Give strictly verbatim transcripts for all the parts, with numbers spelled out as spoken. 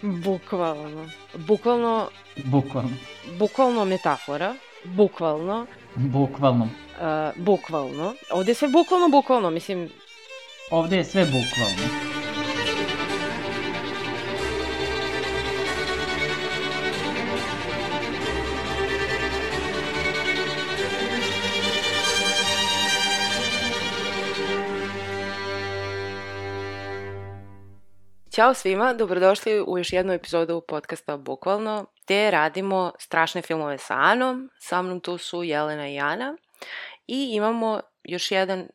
Bukvalno. Bukvalno... Bukvalno. Bukvalno metafora. Bukvalno. Bukvalno. Uh, bukvalno. Ovde je sve bukvalno, bukvalno, mislim... Ovde je sve bukvalno. Ćao svima, dobrodošli u još jednu epizodu podcasta Bukvalno, gde radimo strašne filmove sa Anom. Sa mnom tu su Jelena i Ana. I imamo još jedan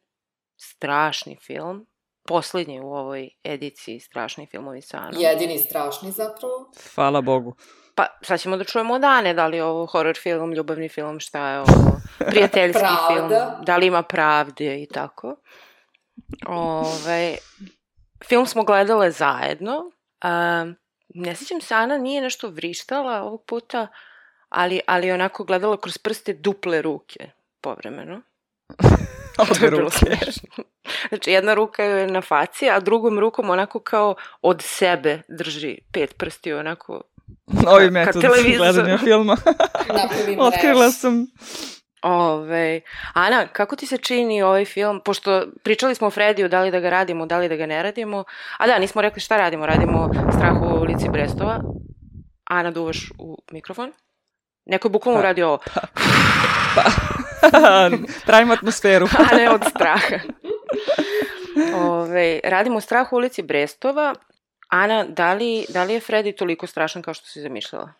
strašni film, poslednji u ovoj ediciji strašni filmovi sa Anom. Jedini strašni zapravo. Hvala Bogu. Pa sad ćemo da čujemo od Ane, da li je ovo horor film, ljubavni film, šta je ovo, prijateljski film, da li ima pravde i tako. Ove... Film smo gledale zajedno. Uh, ne sjećam se, Ana nije nešto vrištala ovog puta, ali, ali onako gledala kroz prste duple ruke povremeno. Obe ruke. Znači, jedna ruka je na faci, a drugom rukom onako kao od sebe drži pet prsti, onako novi metod gledanja filma. Otkrila sam. Ove, Ana, kako ti se čini ovaj film, pošto pričali smo o Frediju, da li da ga radimo, da li da ga ne radimo, a da, nismo rekli šta radimo, radimo Strah u ulici Brestova. Ana, duvaš u mikrofon. Neko je bukvalno pa, uradio ovo. Pa, pa. Pravimo atmosferu. A ne od straha. Ove, radimo Strah u ulici Brestova. Ana, da li, da li je Fredi toliko strašan kao što si zamišljala?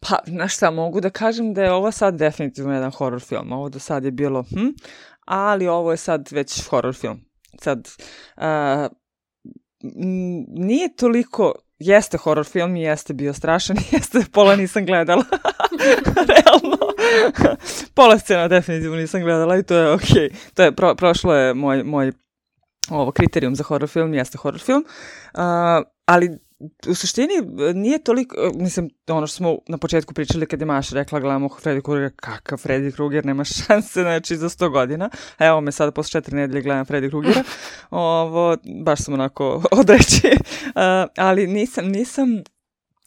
Pa, znaš šta, mogu da kažem da je ovo sad definitivno jedan horror film. Ovo do sad je bilo, hm, ali ovo je sad već horror film. Sad, uh, nije toliko, jeste horror film i jeste bio strašan, jeste, pola nisam gledala. Realno. Pola scena definitivno nisam gledala i to je okej. Okay. To je, pro, prošlo je moj, moj ovo, kriterijum za horror film, jeste horror film. Uh, ali u suštini nije toliko, mislim, ono što smo na početku pričali kad je Maša rekla gledamo Freddy Krueger, kakav Freddy Krueger, nema šanse, znači za sto godina, a evo me sada posle četiri nedelje gledam Freddy Krugera, ovo, baš sam onako odreći, uh, ali nisam, nisam,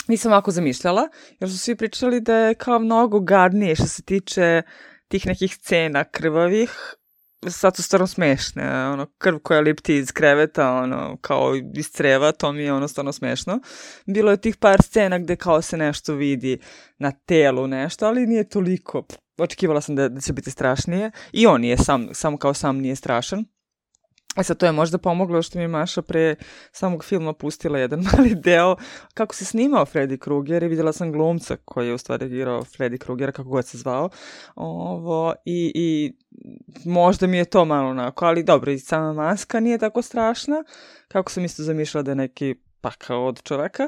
nisam ovako zamišljala, jer su svi pričali da je kao mnogo gadnije što se tiče tih nekih scena krvavih. Sad su stvarno smešne, ono, krv koja lipti iz kreveta, ono, kao iz creva, to mi je ono stvarno smešno. Bilo je tih par scena gde kao se nešto vidi na telu nešto, ali nije toliko. Očekivala sam da, da će biti strašnije. I on je sam, sam kao sam nije strašan. E sad to je možda pomoglo što mi je Maša pre samog filma pustila jedan mali deo kako se snimao Freddy Krueger i vidjela sam glumca koji je u stvari igrao Freddy Kruegera, kako god se zvao. Ovo, i, i možda mi je to malo onako, ali dobro, i sama maska nije tako strašna, kako sam isto zamišljala da je neki pakao od čoveka.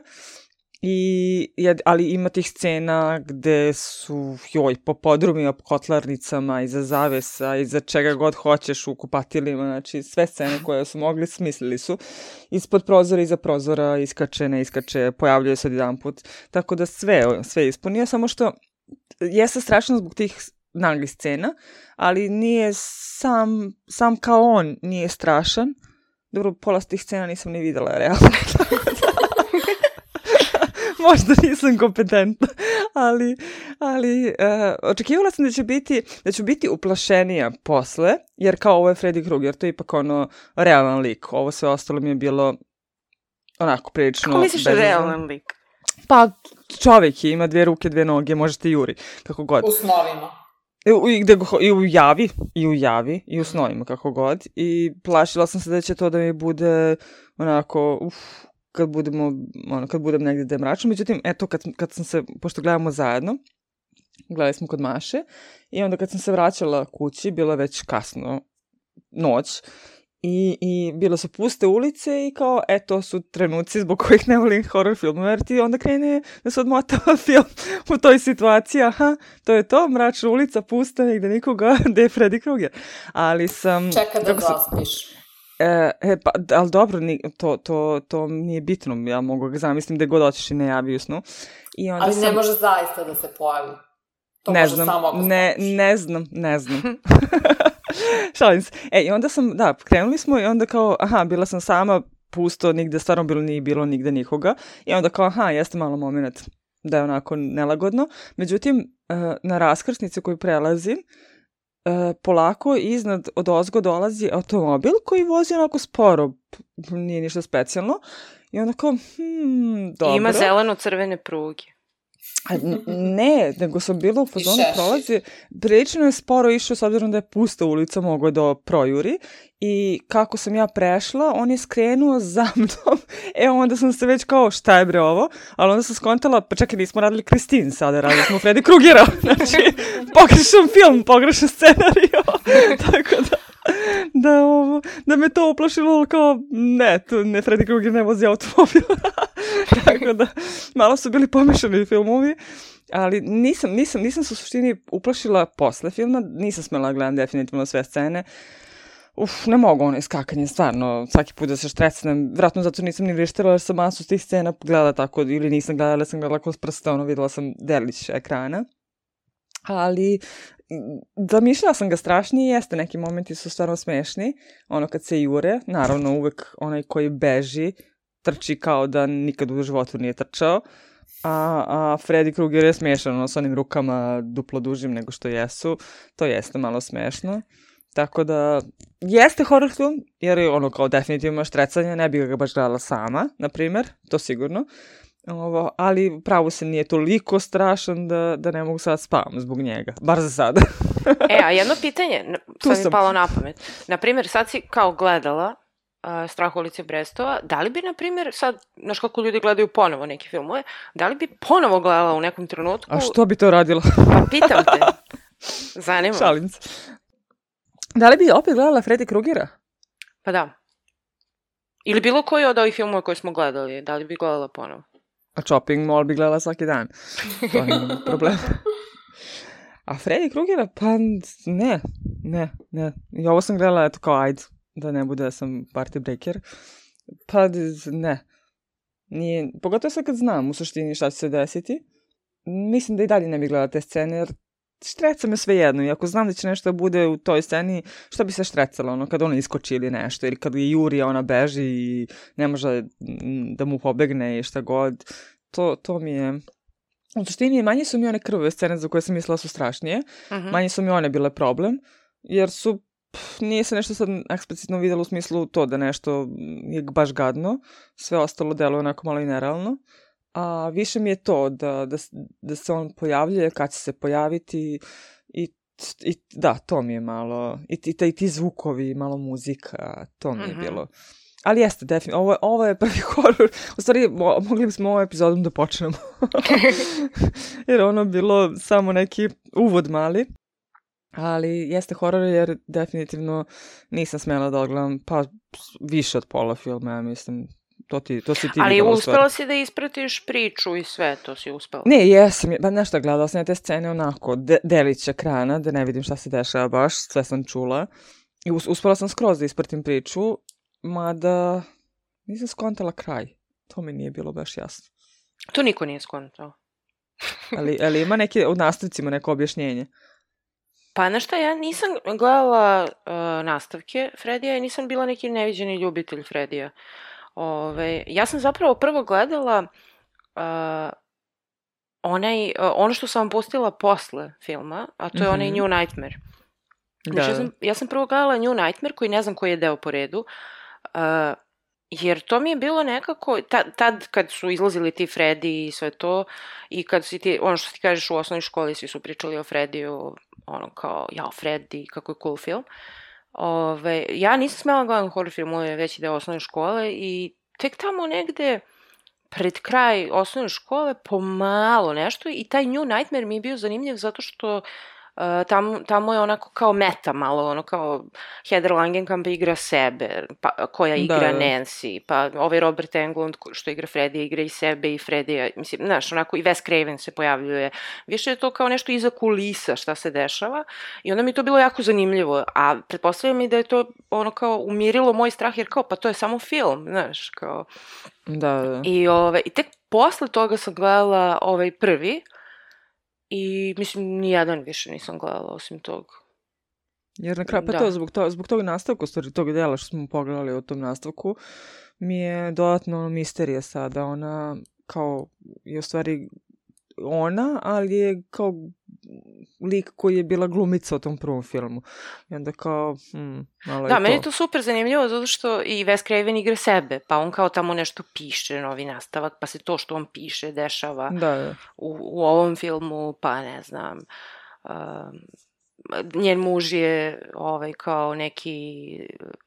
I, ali ima tih scena gde su, joj, po podrumima, po kotlarnicama, iza zavesa, iza čega god hoćeš u kupatilima, znači sve scene koje su mogli, smislili su. Ispod prozora, iza prozora, iskače, ne iskače, pojavljuje se jedan put. Tako da sve, sve ispunio, samo što jeste strašno zbog tih naglih scena, ali nije sam, sam kao on nije strašan. Dobro, pola tih scena nisam ni videla, realno. Možda nisam kompetentna, ali, ali uh, očekivala sam da će biti, da ću biti uplašenija posle, jer kao ovo je Freddy Krueger, to je ipak ono realan lik, ovo sve ostalo mi je bilo onako prilično... Kako misliš bezazvan. Realan lik? Pa čovjek je, ima dvije ruke, dvije noge, možete juri, kako god. U snovima. I, i, gde, I u javi, i u javi, i u snovima, kako god, i plašila sam se da će to da mi bude onako, uf, kad budemo, ono, kad budem negdje da je mračno. Međutim, eto, kad, kad sam se, pošto gledamo zajedno, gledali smo kod Maše, i onda kad sam se vraćala kući, bilo je već kasno, noć, i, i bilo su puste ulice i kao, eto, su trenuci zbog kojih ne volim horror filmove, jer ti onda krene da se odmotava film u toj situaciji, aha, to je to, mračna ulica, pusta, negde nikoga, gde je Freddy Krueger. Ali sam... Čeka da zaspiš. E, e, pa, ali dobro, ni, to, to, to nije bitno, ja mogu ga zamislim da god otiš i ne javi u snu. I onda ali sam... ne može zaista da se pojavi. To ne može znam, samo ako ne, ne znam, ne znam. Šalim se. E, i onda sam, da, krenuli smo i onda kao, aha, bila sam sama, pusto, nigde stvarno bilo nije bilo nigde nikoga. I onda kao, aha, jeste malo moment da je onako nelagodno. Međutim, na raskrsnici koju prelazim, polako iznad od ozgo dolazi automobil koji vozi onako sporo, nije ništa specijalno. I onda kao, hmm, dobro. Ima zeleno-crvene pruge. A ne, nego sam bila u fazonu prolazi, prilično je sporo išao s obzirom da je pusta ulica, mogo do projuri i kako sam ja prešla, on je skrenuo za mnom, e onda sam se već kao šta je bre ovo, ali onda sam skontala, pa čekaj nismo radili Kristin sada, radili smo Freddy Krugera, znači pogrešan film, pogrešan scenario, tako da. Da, ovo, da me to uplašilo kao, ne, tu ne, Freddy Krueger ne vozi automobil. Tako da, malo su bili pomešani filmovi, ali nisam, nisam, nisam se u suštini uplašila posle filma, nisam smela gledam definitivno sve scene. Uf, ne mogu ono iskakanje, stvarno, svaki put da se štrecnem, vratno zato nisam ni vrištila jer sam masu tih scena gledala tako, ili nisam gledala, ali sam gledala kroz prste, ono, videla sam delić ekrana. Ali zamišljala sam ga strašnije, jeste, neki momenti su stvarno smešni, ono kad se jure, naravno uvek onaj koji beži, trči kao da nikad u životu nije trčao, a, a Freddy Krueger je smešan, ono, s onim rukama duplo dužim nego što jesu, to jeste malo smešno, tako da jeste horror film, jer je ono kao definitivno štrecanje, ne bih ga baš gledala sama, na primer, to sigurno. Ovo, ali pravo se nije toliko strašan da, da ne mogu sad spavam zbog njega. Bar za sada. E, a jedno pitanje, sad mi palo na pamet. Naprimjer, sad si kao gledala uh, Strah u ulici Brestova, da li bi, naprimjer, sad, znaš kako ljudi gledaju ponovo neke filmove, da li bi ponovo gledala u nekom trenutku? A što bi to radila? Pa pitam te. Zanima. Šalim se. Da li bi opet gledala Freddy Krugera? Pa da. Ili bilo koji od ovih filmova koje smo gledali, da li bi gledala ponovo? A Chopping Mall bi gledala svaki dan. To nije problem. A Freddy Krugera, pa ne, ne, ne. I ovo sam gledala, eto kao ajde, da ne bude da sam party breaker. Pa ne. Nije, pogotovo sad kad znam u suštini šta će se desiti. Mislim da i dalje ne bi gledala te scene, jer štreca me sve jedno. I ako znam da će nešto da bude u toj sceni, šta bi se štrecalo, ono, kad ona iskoči ili nešto, ili kad je juri, ona beži i ne može da mu pobegne i šta god. To, to mi je... U suštini, manje su mi one krvave scene za koje sam mislila su strašnije. Uh-huh. Manje su mi one bile problem, jer su... Pff, nije se nešto sad eksplicitno vidjelo u smislu to da nešto je baš gadno. Sve ostalo deluje onako malo i nerealno. A više mi je to da, da, da se on pojavljuje, kad će se pojaviti i, i da, to mi je malo, i, i, i ti zvukovi, malo muzika, to mi je mm-hmm. bilo. Ali jeste, definitivno, ovo, ovo je prvi horor, u stvari mo, mogli bismo ovom epizodom da počnemo, jer ono bilo samo neki uvod mali, ali jeste horor jer definitivno nisam smjela da odgledam, pa više od pola filma, ja mislim. To, ti, to si ti ali videla uspela si da ispratiš priču i sve, to si uspela? Ne, jesam, ba nešto gledala sam ja te scene onako, de, delić ekrana, da ne vidim šta se dešava baš, sve sam čula. I us, uspela sam skroz da ispratim priču, mada nisam skontala kraj. To mi nije bilo baš jasno. To niko nije skontao. ali, ali ima neke, u nastavcima neko objašnjenje? Pa znaš šta, ja nisam gledala uh, nastavke Fredija i nisam bila neki neviđeni ljubitelj Fredija. Ove, ja sam zapravo prvo gledala uh, onaj, uh, ono što sam vam pustila posle filma, a to je mm-hmm. onaj New Nightmare. Znači, ja, sam, ja sam prvo gledala New Nightmare, koji ne znam koji je deo po redu, uh, jer to mi je bilo nekako, ta, tad kad su izlazili ti Freddy i sve to, i kad si ti, ono što ti kažeš u osnovnoj školi, svi su pričali o Freddiju, ono kao, jao, Freddy, kako je cool film. Ove, ja nisam smela gledam horror filmove veći deo osnovne škole i tek tamo negde pred kraj osnovne škole pomalo nešto i taj New Nightmare mi je bio zanimljiv zato što uh, tamo, tamo je onako kao meta malo, ono kao Heather Langenkamp igra sebe, pa, koja igra da, Nancy, pa ovaj Robert Englund što igra Freddy igra i sebe i Freddy, mislim, znaš, onako i Wes Craven se pojavljuje, više je to kao nešto iza kulisa šta se dešava i onda mi je to bilo jako zanimljivo, a pretpostavljam i da je to ono kao umirilo moj strah jer kao, pa to je samo film, znaš, kao... Da, da. I, ove, i tek posle toga sam gledala ovaj prvi i mislim nijedan više nisam gledala osim tog. Jer na kraju, pa Da. to, zbog, to, zbog tog nastavka, u stvari tog dela što smo pogledali o tom nastavku, mi je dodatno ono misterija sada. Ona kao je u stvari ona, ali je kao lik koji je bila glumica u tom prvom filmu. I onda kao, hmm, malo Da, je meni je to. to super zanimljivo zato što i Wes Craven igra sebe, pa on kao tamo nešto piše, novi nastavak, pa se to što on piše dešava Da, da. u, u ovom filmu, pa ne znam, um, njen muž je ovaj, kao neki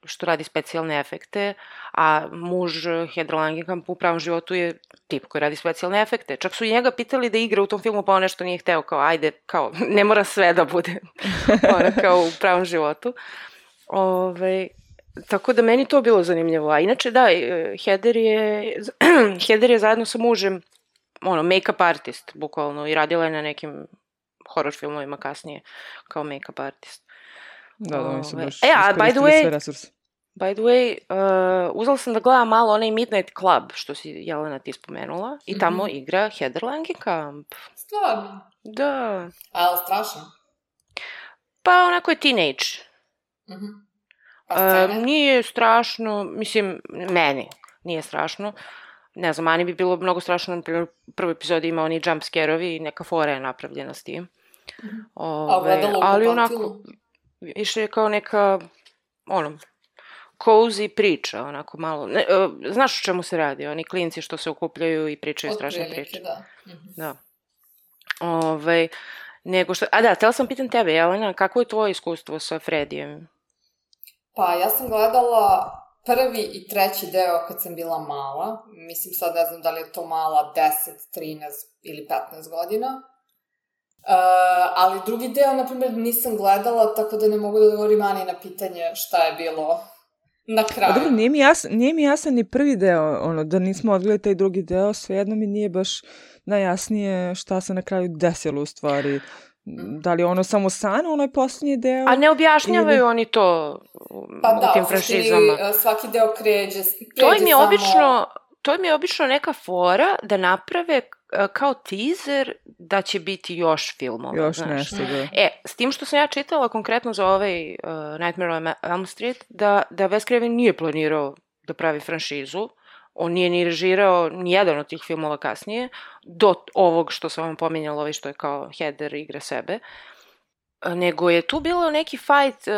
što radi specijalne efekte, a muž Heather Langenkamp u pravom životu je tip koji radi specijalne efekte. Čak su i njega pitali da igra u tom filmu, pa on nešto nije hteo, kao ajde, kao ne mora sve da bude ona kao u pravom životu. Ove, tako da meni to bilo zanimljivo. A inače da, Heather je, Heather je zajedno sa mužem ono, make-up artist, bukvalno, i radila je na nekim horror filmovima kasnije kao make-up artist. Da, da, oni su baš E, a by the iskoristili way, sve resurse. by the way, uh, uzela sam da gledam malo onaj Midnight Club, što si, Jelena, ti spomenula, i tamo Mhm. igra Heather Langenkamp. Stvarno. Da. Ali strašno. Pa onako je teenage. Mhm. Pa Uh, scene? nije strašno, mislim, meni nije strašno. Ne znam, Ani bi bilo mnogo strašno, na primjer, u prvoj epizodi ima oni jump scare-ovi i neka fora je napravljena s tim. A Ove, ogledalo u ali kupatilu? onako, više je kao neka, ono, cozy priča, onako malo. Ne, uh, znaš o čemu se radi? Oni klinci što se okupljaju i pričaju strašne Otprilike, priče. da. Mhm. Da. Ove, nego što, a da, htjela sam pitan tebe, Jelena, kako je tvoje iskustvo sa Fredijem? Pa ja sam gledala prvi i treći deo kad sam bila mala. Mislim sad ne znam da li je to mala deset, trinaest ili petnaest godina. Uh, ali drugi deo, na primjer, nisam gledala, tako da ne mogu da odgovorim Ani na pitanje šta je bilo na kraju. A dobro, nije mi, jasan, nije mi jasan ni prvi deo, ono, da nismo odgledali taj drugi deo, svejedno mi nije baš najjasnije šta se na kraju desilo u stvari. Da li je ono samo san, onaj posljednji deo? A ne objašnjavaju ili... oni to Pa u da, tim u suštini, franšizama. svaki deo kređe, kređe To im je samo... obično, to im je obično neka fora da naprave uh, kao teaser da će biti još filmova. Još znaš. nešto, da. E, s tim što sam ja čitala konkretno za ovaj uh, Nightmare on Elm Street, da, da Wes Craven nije planirao da pravi franšizu, on nije ni režirao ni jedan od tih filmova kasnije, do ovog što sam vam pominjala, ovaj što je kao Heather igra sebe, nego je tu bilo neki fight, uh,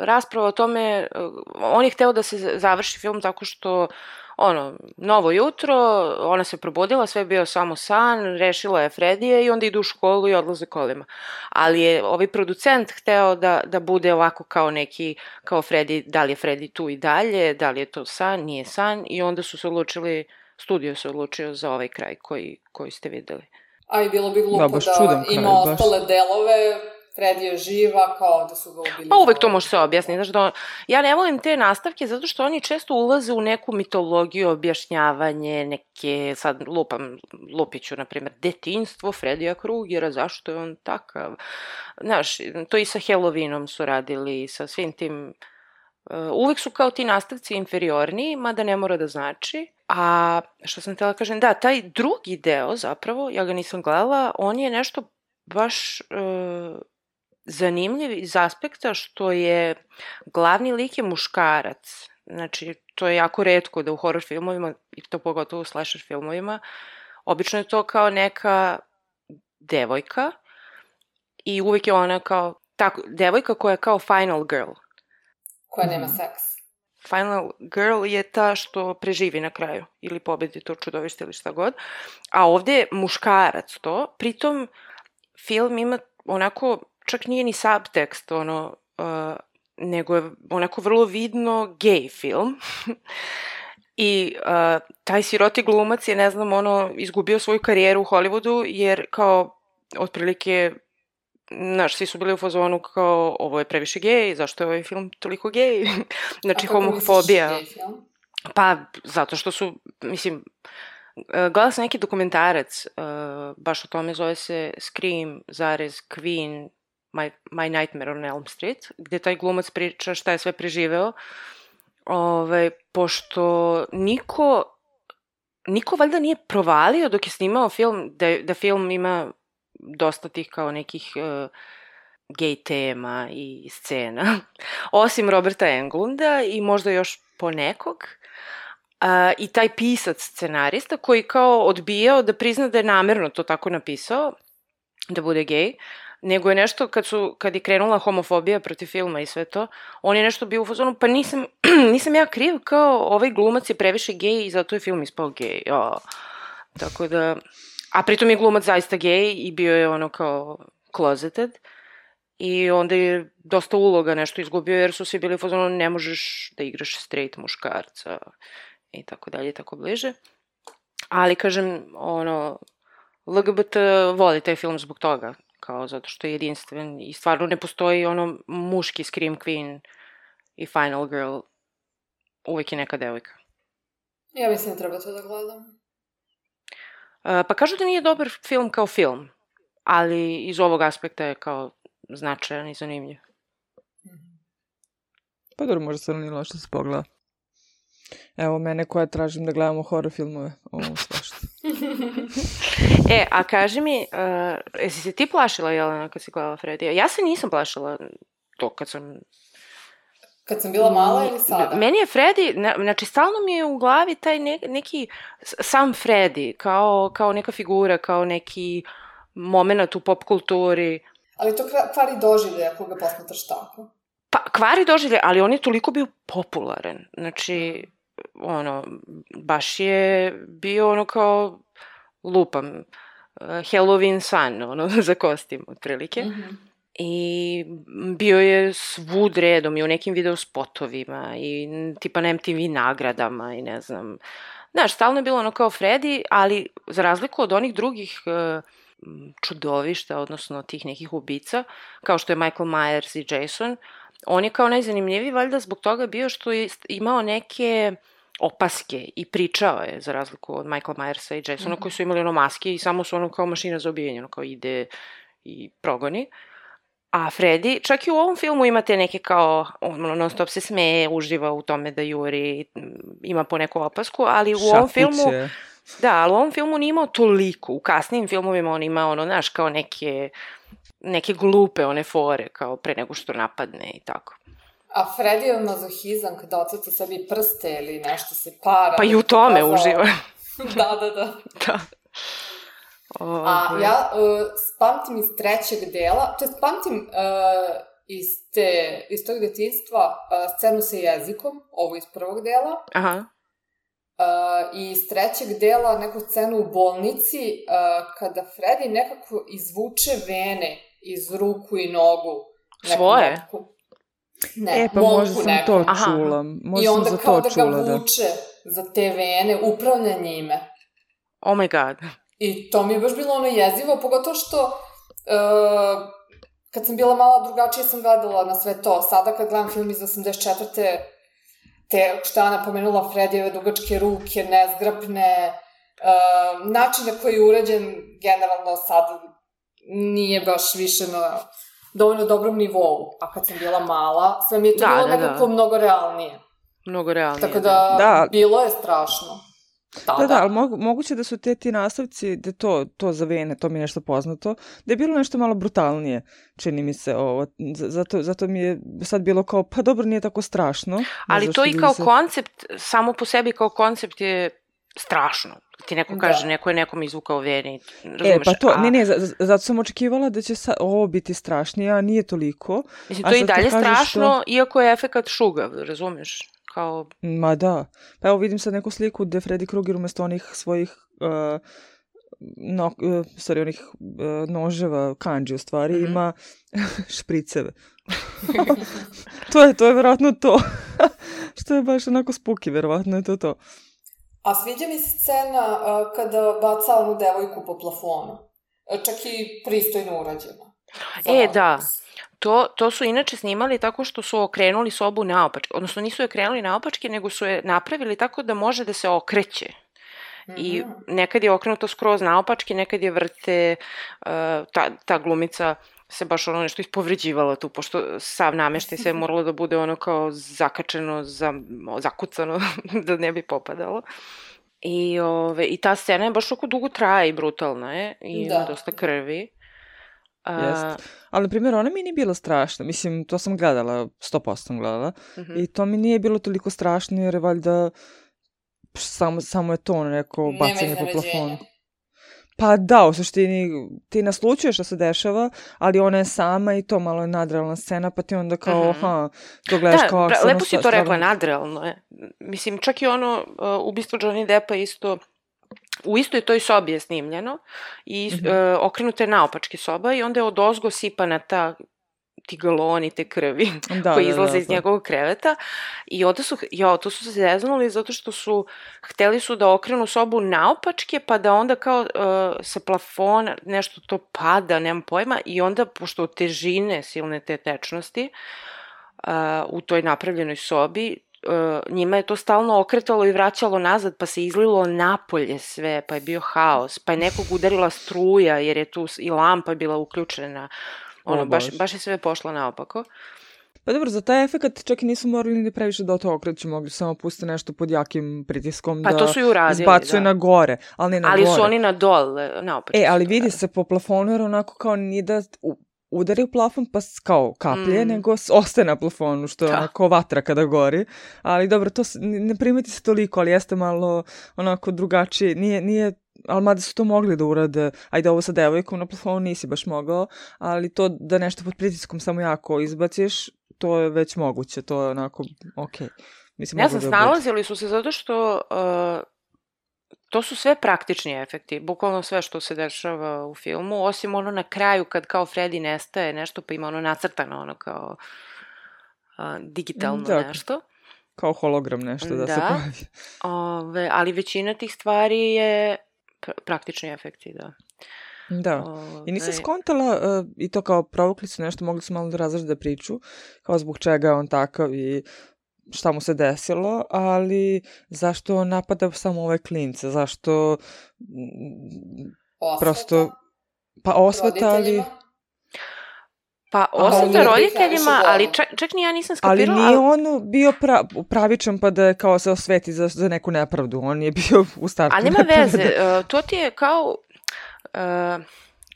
rasprava o tome, uh, on je hteo da se završi film tako što, ono, novo jutro, ona se probudila, sve je bio samo san, rešila je Fredije i onda idu u školu i odlaze kolima. Ali je ovaj producent hteo da, da bude ovako kao neki, kao Freddy, da li je Freddy tu i dalje, da li je to san, nije san, i onda su se odlučili, studio se odlučio za ovaj kraj koji, koji ste videli. A i bilo bi glupo Da, da, baš čudan kraj, ima baš. ostale delove, Freddy je živa, kao da su ga ubili. Pa uvek to za- može se objasniti. Znaš, da on, ja ne volim te nastavke zato što oni često ulaze u neku mitologiju, objašnjavanje, neke, sad lupam, lupiću, na primjer, detinjstvo Fredija Krugera, zašto je on takav. Znaš, to i sa Halloweenom su radili, sa svim tim. Uh, uvek su kao ti nastavci inferiorniji, mada ne mora da znači. A što sam htjela kažem, da, taj drugi deo zapravo, ja ga nisam gledala, on je nešto baš uh, zanimljiv iz aspekta što je glavni lik je muškarac. Znači, to je jako retko da u horror filmovima, i to pogotovo u slasher filmovima, obično je to kao neka devojka i uvek je ona kao, tako, devojka koja je kao final girl. Koja nema seks. Final girl je ta što preživi na kraju ili pobedi to čudovište ili šta god. A ovde je muškarac to. Pritom film ima onako, čak nije ni subtekst, ono, uh, nego je onako vrlo vidno gay film. I uh, taj siroti glumac je, ne znam, ono, izgubio svoju karijeru u Hollywoodu jer kao, otprilike, znaš, svi su bili u fazonu kao, ovo je previše gej, zašto je ovaj film toliko gej? Znači, A kako homofobija. misliš gay film? Pa, zato što su, mislim, uh, gledala sam neki dokumentarac, uh, baš o tome, zove se Scream, zarez, Queen, My, My Nightmare on Elm Street, gde taj glumac priča šta je sve preživeo, Ove, pošto niko, niko valjda nije provalio dok je snimao film, da, da film ima dosta tih kao nekih uh, gej tema i scena, osim Roberta Englunda i možda još ponekog. Uh, I taj pisac scenarista koji kao odbijao da prizna da je namerno to tako napisao, da bude gej, nego je nešto, kad, su, kad je krenula homofobija protiv filma i sve to, on je nešto bio u fazonu, pa nisam, nisam ja kriv, kao ovaj glumac je previše gej i zato je film ispao gej. Oh. Tako da, a pritom je glumac zaista gej i bio je ono kao closeted i onda je dosta uloga nešto izgubio jer su svi bili u fazonu, ne možeš da igraš straight muškarca i tako dalje i tako bliže. Ali kažem, ono, L G B T voli taj film zbog toga, kao zato što je jedinstven i stvarno ne postoji ono muški Scream Queen i Final Girl, uvek je neka devojka. Ja mislim da treba to da gledam. Uh, pa kažu da nije dobar film kao film, ali iz ovog aspekta je kao značajan i zanimljiv. Pa dobro, možda se nije loše se pogleda. Evo mene koja tražim da gledamo horror filmove. Ovo svašta. E, a kaži mi, uh, jesi se ti plašila, Jelena, kad si gledala Fredija? Ja se nisam plašila to kad sam... Kad sam bila mala ili sada? Meni je Freddy, znači stalno mi je u glavi taj ne, neki, sam Freddy, kao, kao neka figura, kao neki moment u pop kulturi. Ali to kvari doživlje ako ga posmatraš tako. Pa, kvari doživlje, ali on je toliko bio popularan. Znači, ono, baš je bio ono kao, lupam, Halloween san, ono, za kostim, otprilike. Mm-hmm. I bio je svud redom i u nekim video spotovima i tipa na M T V nagradama i ne znam. Znaš, stalno je bilo ono kao Freddy, ali za razliku od onih drugih uh, čudovišta, odnosno tih nekih ubica, kao što je Michael Myers i Jason, on je kao najzanimljiviji valjda zbog toga bio što je imao neke opaske i pričao je, za razliku od Michael Myersa i Jasona, mm-hmm. koji su imali ono maske i samo su ono kao mašina za ubijanje, ono kao ide i progoni. A Freddy, čak i u ovom filmu imate neke kao, ono, non stop se smeje, uživa u tome da juri, ima po neku opasku, ali u Šapiće. ovom filmu, da, ali u ovom filmu nije imao toliko, u kasnijim filmovima on ima ono, znaš, kao neke, neke glupe one fore, kao pre nego što napadne i tako. A Freddy je mazohizam kada ocrta sebi prste ili nešto se para. Pa i u tome pokazao. uživa. Da, da, da. Da. Oh, a ja uh, pamtim iz trećeg dela, to je pamtim uh, iz, te, iz tog detinjstva uh, scenu sa jezikom, ovo iz prvog dela. Aha. Uh, I iz trećeg dela neku scenu u bolnici uh, kada Freddy nekako izvuče vene iz ruku i nogu. Svoje? Netku. Ne, e, pa možda sam neku. to Aha. čula. Možda I onda sam za kao to da čula, ga vuče da. Za te vene, upravlja njime. Oh my god. I to mi je baš bilo ono jezivo, pogotovo što uh, kad sam bila mala drugačije sam gledala na sve to. Sada kad gledam film iz osamdeset četvrte te, što je Ana pomenula, Freddyjeve dugačke ruke, nezgrapne, uh, način na koji je urađen generalno sad nije baš više na dovoljno dobrom nivou. A kad sam bila mala, sve mi je to da, bilo da, nekako da. mnogo realnije. Mnogo realnije. Tako da, da. bilo je strašno. Da, da, da, ali mogu, moguće da su te ti nastavci, da to, to za vene, to mi je nešto poznato, da je bilo nešto malo brutalnije, čini mi se ovo. Zato, zato mi je sad bilo kao, pa dobro, nije tako strašno. Ali to i kao se... koncept, samo po sebi kao koncept je strašno. Ti neko kaže, da. Neko je nekom izvukao vene, razumeš? E, pa to, a... ne, ne, zato sam očekivala da će sa, ovo biti strašnije, a nije toliko. Mislim, to je i dalje strašno, što... iako je efekat šugav, razumeš? Kao... Ma da. Pa evo vidim sad neku sliku gde Freddy Krueger umjesto onih svojih uh, no, uh, sorry, onih uh, noževa, kanđi u stvari, mm-hmm. ima špriceve. to je, to je verovatno to. Što je baš onako spooky, verovatno je to to. A sviđa mi se scena uh, kada baca onu devojku po plafonu. Čak i pristojno urađena. E, da. To, to su inače snimali tako što su okrenuli sobu naopačke. Odnosno nisu je okrenuli naopačke, nego su je napravili tako da može da se okreće. Mm-hmm. I nekad je okrenuto skroz naopačke, nekad je vrte, uh, ta, ta glumica se baš ono nešto ispovređivala tu, pošto sav nameštaj sve moralo da bude ono kao zakačeno, za, zakucano, da ne bi popadalo. I, ove, i ta scena je baš oko dugo traje i brutalna je, i ima dosta krvi. A, Jest. Ali, na primjer, ona mi nije bila strašna. Mislim, to sam gledala, sto posto sam gledala. mhm. I to mi nije bilo toliko strašno, jer je valjda samo, samo je to ono neko Nema bacanje po iznenađenja. plafonu. Pa da, u suštini ti naslučuješ šta se dešava, ali ona je sama i to malo je nadrealna scena, pa ti onda kao, Mhm. aha, to gledaš Da, kao... pra- stvarno lepo si sta- to rekla, stvarno- nadrealno je. Mislim, čak i ono uh, ubistvo Johnny Deppa isto, u istoj toj sobi je snimljeno i Mhm. uh, okrenuta je naopačke soba i onda je odozgo sipana ta ti galoni te krvi Da, koji da, izlaze da, iz da. njegovog kreveta i onda su, jo, to su se zeznuli zato što su, hteli su da okrenu sobu naopačke pa da onda kao uh, sa plafona nešto to pada, nemam pojma, i onda pošto od težine silne te tečnosti uh, u toj napravljenoj sobi, uh, njima je to stalno okretalo i vraćalo nazad, pa se izlilo napolje sve, pa je bio haos, pa je nekog udarila struja jer je tu s- i lampa bila uključena. Ono, O, baš, Bože. baš je sve pošlo naopako. Pa dobro, za taj efekt čak i nisu morali ni previše da to okreću, mogli su samo pustiti nešto pod jakim pritiskom Pa da to su i uradili, izbacuje da. na gore, ali ne na Ali gore. su oni na dol, naopačke. E, ali su to vidi radili. se po plafonu, jer onako kao nije da u- udari u plafon pa s- kao kaplje, Mm. nego s- ostaje na plafonu, što je Da. onako vatra kada gori. Ali dobro, to s- ne ne primeti se toliko, ali jeste malo onako drugačije. Nije, nije, ali mada su to mogli da urade, ajde ovo sa devojkom na plafonu nisi baš mogao, ali to da nešto pod pritiskom samo jako izbaciš, to je već moguće, to je onako, okej. Mislim, Ne moglo znam, bi da bude. snalazili su se zato što uh, to su sve praktični efekti, bukvalno sve što se dešava u filmu, osim ono na kraju kad kao Freddy nestaje nešto, pa ima ono nacrtano, ono kao uh, digitalno Da. nešto. Kao hologram nešto da, se Da. pojavi. Ove, ali većina tih stvari je pr- praktični efekti, da. Da. I nisam Ove, skontala, uh, i to kao provukli su nešto, mogli su malo da razrede priču, kao zbog čega je on takav i šta mu se desilo, ali zašto on napada samo ove klince, zašto mm, Osveta prosto, pa osveta, ali, roditeljima. Pa oni osveta nije roditeljima, previše ali bolno. čak, čak ni ja nisam ali skapirala, nije on bio pra, pravičan pa da je kao se osveti za, za neku nepravdu, on je bio u startu ali nema nepravedan. veze, uh, to ti je kao, uh,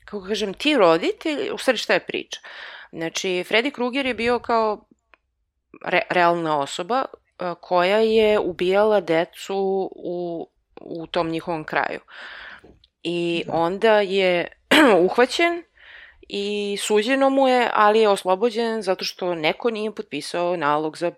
kako kažem, ti roditelji, u stvari šta je priča? Znači, Freddy Krueger je bio kao re, realna osoba uh, koja je ubijala decu u, u tom njihovom kraju. I Da. onda je uhvaćen i suđeno mu je, ali je oslobođen zato što neko nije potpisao nalog za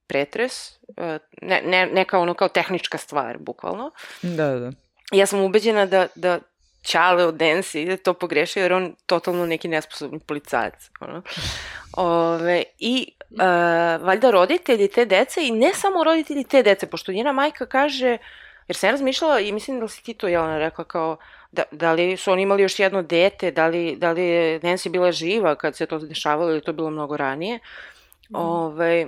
pretres, uh, ne, ne, neka ono kao tehnička stvar, bukvalno. Da, da. Ja sam ubeđena da, da Ćale od Nancy je to pogrešio jer on totalno neki nesposobni policajac. Ono. Ove, I uh, valjda roditelji te dece i ne samo roditelji te dece, pošto njena majka kaže, jer sam ja razmišljala i mislim da si ti to Jelena rekla kao da, da li su oni imali još jedno dete, da li, da li je Nancy bila živa kad se to dešavalo ili to bilo mnogo ranije. Ove,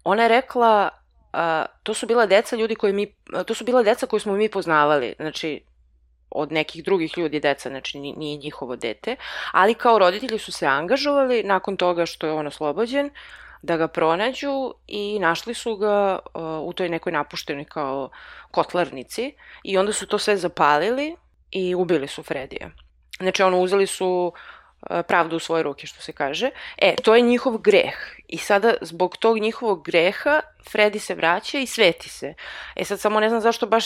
ona je rekla a, to su bila deca ljudi koji mi, to su bila deca koju smo mi poznavali, znači od nekih drugih ljudi deca, znači ni- nije njihovo dete, ali kao roditelji su se angažovali nakon toga što je on oslobođen da ga pronađu i našli su ga uh, u toj nekoj napuštenoj kao kotlarnici i onda su to sve zapalili i ubili su Fredija. Znači ono, uzeli su uh, pravdu u svoje ruke, što se kaže. E, to je njihov greh. I sada, zbog tog njihovog greha, Freddy se vraća i sveti se. E sad, samo ne znam zašto baš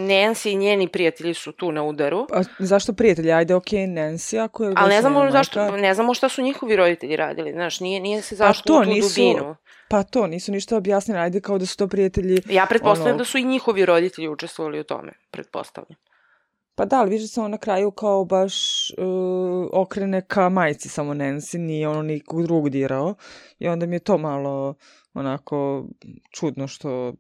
Nancy i njeni prijatelji su tu na udaru. A zašto prijatelji? Ajde, okej, Nancy, ako je... Ali ne već znamo njena zašto, majka. ne znamo šta su njihovi roditelji radili, znaš, nije, nije se Pa zašlo to u tu nisu- dubinu. Pa to, nisu ništa objasnili, ajde kao da su to prijatelji... Ja pretpostavljam ono- da su i njihovi roditelji učestvovali u tome, pretpostavljam. Pa da, ali vidiš da se on na kraju kao baš uh, okrene ka majci samo Nancy, nije ono nikog drugog dirao. I onda mi je to malo onako čudno što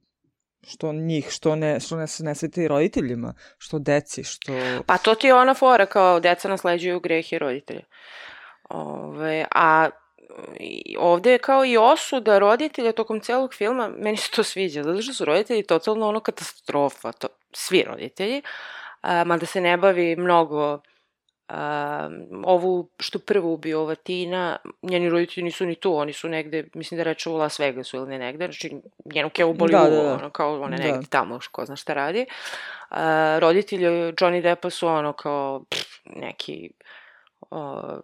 što njih, što ne, što ne, ne sveti roditeljima, što deci, što... Pa to ti je ona fora, kao deca nasleđuju grehe roditelja. Ove, a i ovde je kao i osuda roditelja tokom celog filma, meni se to sviđa, zato što su roditelji totalno ono katastrofa, to, svi roditelji, a, mada se ne bavi mnogo a, ovu što prvo ubio ova Tina, njeni roditelji nisu ni tu, oni su negde, mislim da reče u Las Vegasu ili ne negde, znači njenu kevu boli Da, uvo, da, da. ono, kao ona Da. negde tamo, ko zna šta radi. A, roditelji Johnny Deppa su ono kao pff, neki o,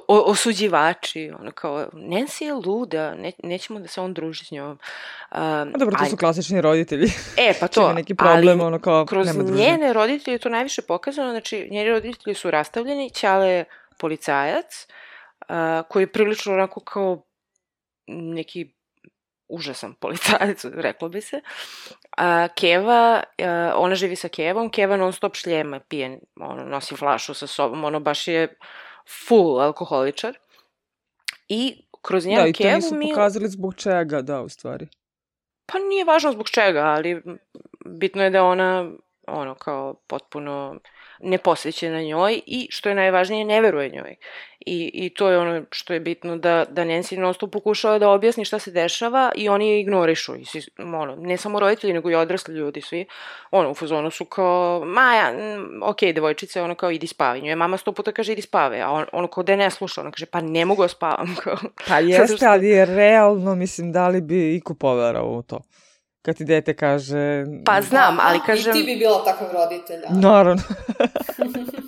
o, osuđivači, ono kao, Nancy je luda, ne, nećemo da se on druži s njom. Um, A dobro, to a, su klasični roditelji. e, pa to, Čime neki problem, ali ono kao, kroz nema druženja. njene roditelje je to najviše pokazano, znači njeni roditelji su rastavljeni, ćale je policajac, uh, koji je prilično onako kao neki užasan policajac, reklo bi se. A Keva, a, ona živi sa Kevom, Keva non stop šljema, pije, ono, nosi flašu sa sobom, ono baš je full alkoholičar. I kroz njenu Da, i to Kevu nisu mi... pokazali zbog čega, da, u stvari. Pa nije važno zbog čega, ali bitno je da ona, ono, kao potpuno neposvećena njoj i, što je najvažnije, ne veruje njoj. I, i to je ono što je bitno, da, da Nancy non stop pokušava da objasni šta se dešava i oni je ignorišu. I svi, ono, ne samo roditelji, nego i odrasli ljudi, svi. Ono, u fazonu su kao, Maja, ok, devojčice, ono kao, idi spavaj. Njoj mama sto puta kaže, idi spave, a on, ono kao da ne sluša, ono kaže, pa ne mogu da spavam. Kao, Pa jeste, što... ali je realno, mislim, da li bi iko poverao u to? Kad ti dete kaže... Pa znam, ali kažem... I ti bi bila takav roditelj. Naravno.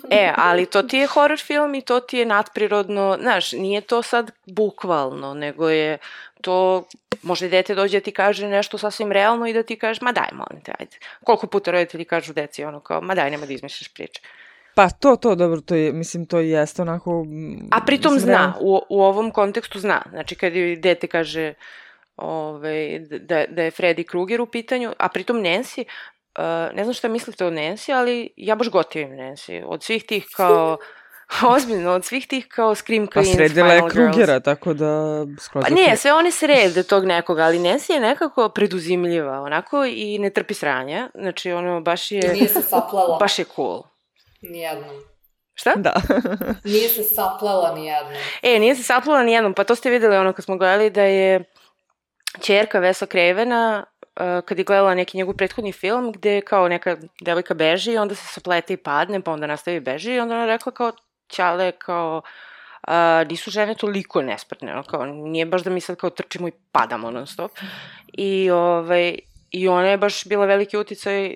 E, ali to ti je horror film i to ti je nadprirodno, znaš, nije to sad bukvalno, nego je to, možda dete dođe da ti kaže nešto sasvim realno i da ti kažeš, ma daj, molim te, ajde. Koliko puta roditelji kažu deci, ono kao, ma daj, nema da izmišljaš priče. Pa to, to, dobro, to je, mislim, to jeste onako... A pritom mislim, zna, realno. u, u ovom kontekstu zna, znači kad je dete kaže... Ove, da, da je Freddy Krueger u pitanju, a pritom Nancy, uh, ne znam šta mislite o Nancy, ali ja baš gotivim Nancy. Od svih tih kao, ozbiljno, od svih tih kao Scream Pa Queens, sredila je Final Krugera, Girls. tako da... skroz Pa okej. ne, sve one srede tog nekoga, ali Nancy je nekako preduzimljiva, onako, i ne trpi sranja. Znači, ono, baš I je... nije se saplela. Baš je cool. Nijednom. Šta? Da. Nije se saplela nijednom. E, nije se saplela nijednom, pa to ste videli ono kad smo gledali da je ćerka Wesa Cravena, uh, kad je gledala neki njegov prethodni film, gde kao neka devojka beži i onda se saplete i padne, pa onda nastavi beži i onda ona rekla kao, ćale, kao, uh, nisu žene toliko nesprtne, ono, kao, nije baš da mi sad kao trčimo i padamo non stop. I, ovaj, i ona je baš bila veliki uticaj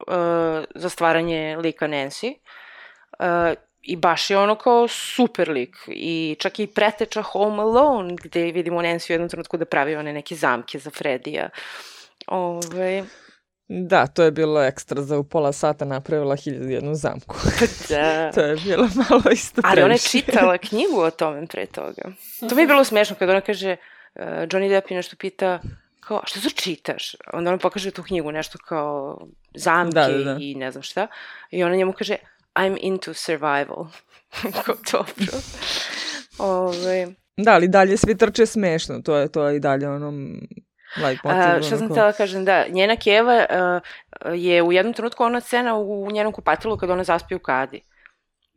uh, za stvaranje lika Nancy. Uh, I baš je ono kao super lik. I čak i preteča Home Alone, gde vidimo Nancy u jednom trenutku da pravi one neke zamke za Fredija. Ove... Da, to je bilo ekstra, za u pola sata napravila hiljadu jednu zamku. Da. To je bilo malo isto previše. Ali ona je čitala knjigu o tome pre toga. To mi je bilo smešno kada ona kaže, uh, Johnny Depp je nešto pita, kao, što to čitaš? Onda ona pokaže tu knjigu, nešto kao zamke Da, da, da. i ne znam šta. I ona njemu kaže, I'm into survival. Kao dobro. Ove... Da, ali dalje svi trče smešno, to je to je i dalje onom like motiv. Uh, šta sam htjela kažem, da, njena Keva uh, je u jednom trenutku ona scena u njenom kupatilu kad ona zaspi u kadi.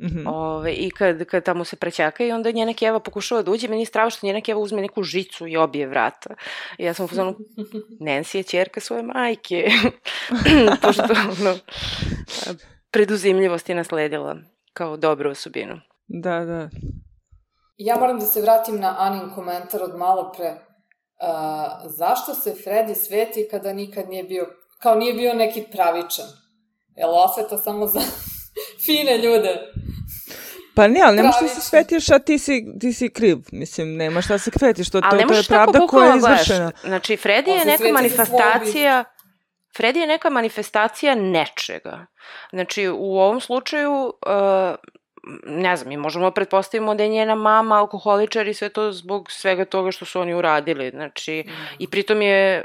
Mm-hmm. Ove, I kad, kad tamo se prećaka i onda njena Keva pokušava da uđe, meni je strava što njena Keva uzme neku žicu i obije vrata. I ja sam u fazonu, Nancy je ćerka svoje majke. Pošto ono, preduzimljivost je nasledila kao dobru osobinu. Da, da. Ja moram da se vratim na Anin komentar od malo pre. Uh, zašto se Freddy sveti kada nikad nije bio, kao nije bio neki pravičan? Jel osveta samo za fine ljude? Pa ne, ali nema što se Pravičan. svetiš, a ti si, ti si kriv. Mislim, nema šta se kvetiš, to, to, Ali ne to je možeš tako pravda koja je bukvalno gledaš. izvršena. Znači, Freddy On je se neka sveti za manifestacija... Freddy je neka manifestacija nečega. Znači, u ovom slučaju, uh, ne znam, mi možemo pretpostavimo da je njena mama alkoholičar i sve to zbog svega toga što su oni uradili. Znači, mm. i pritom je,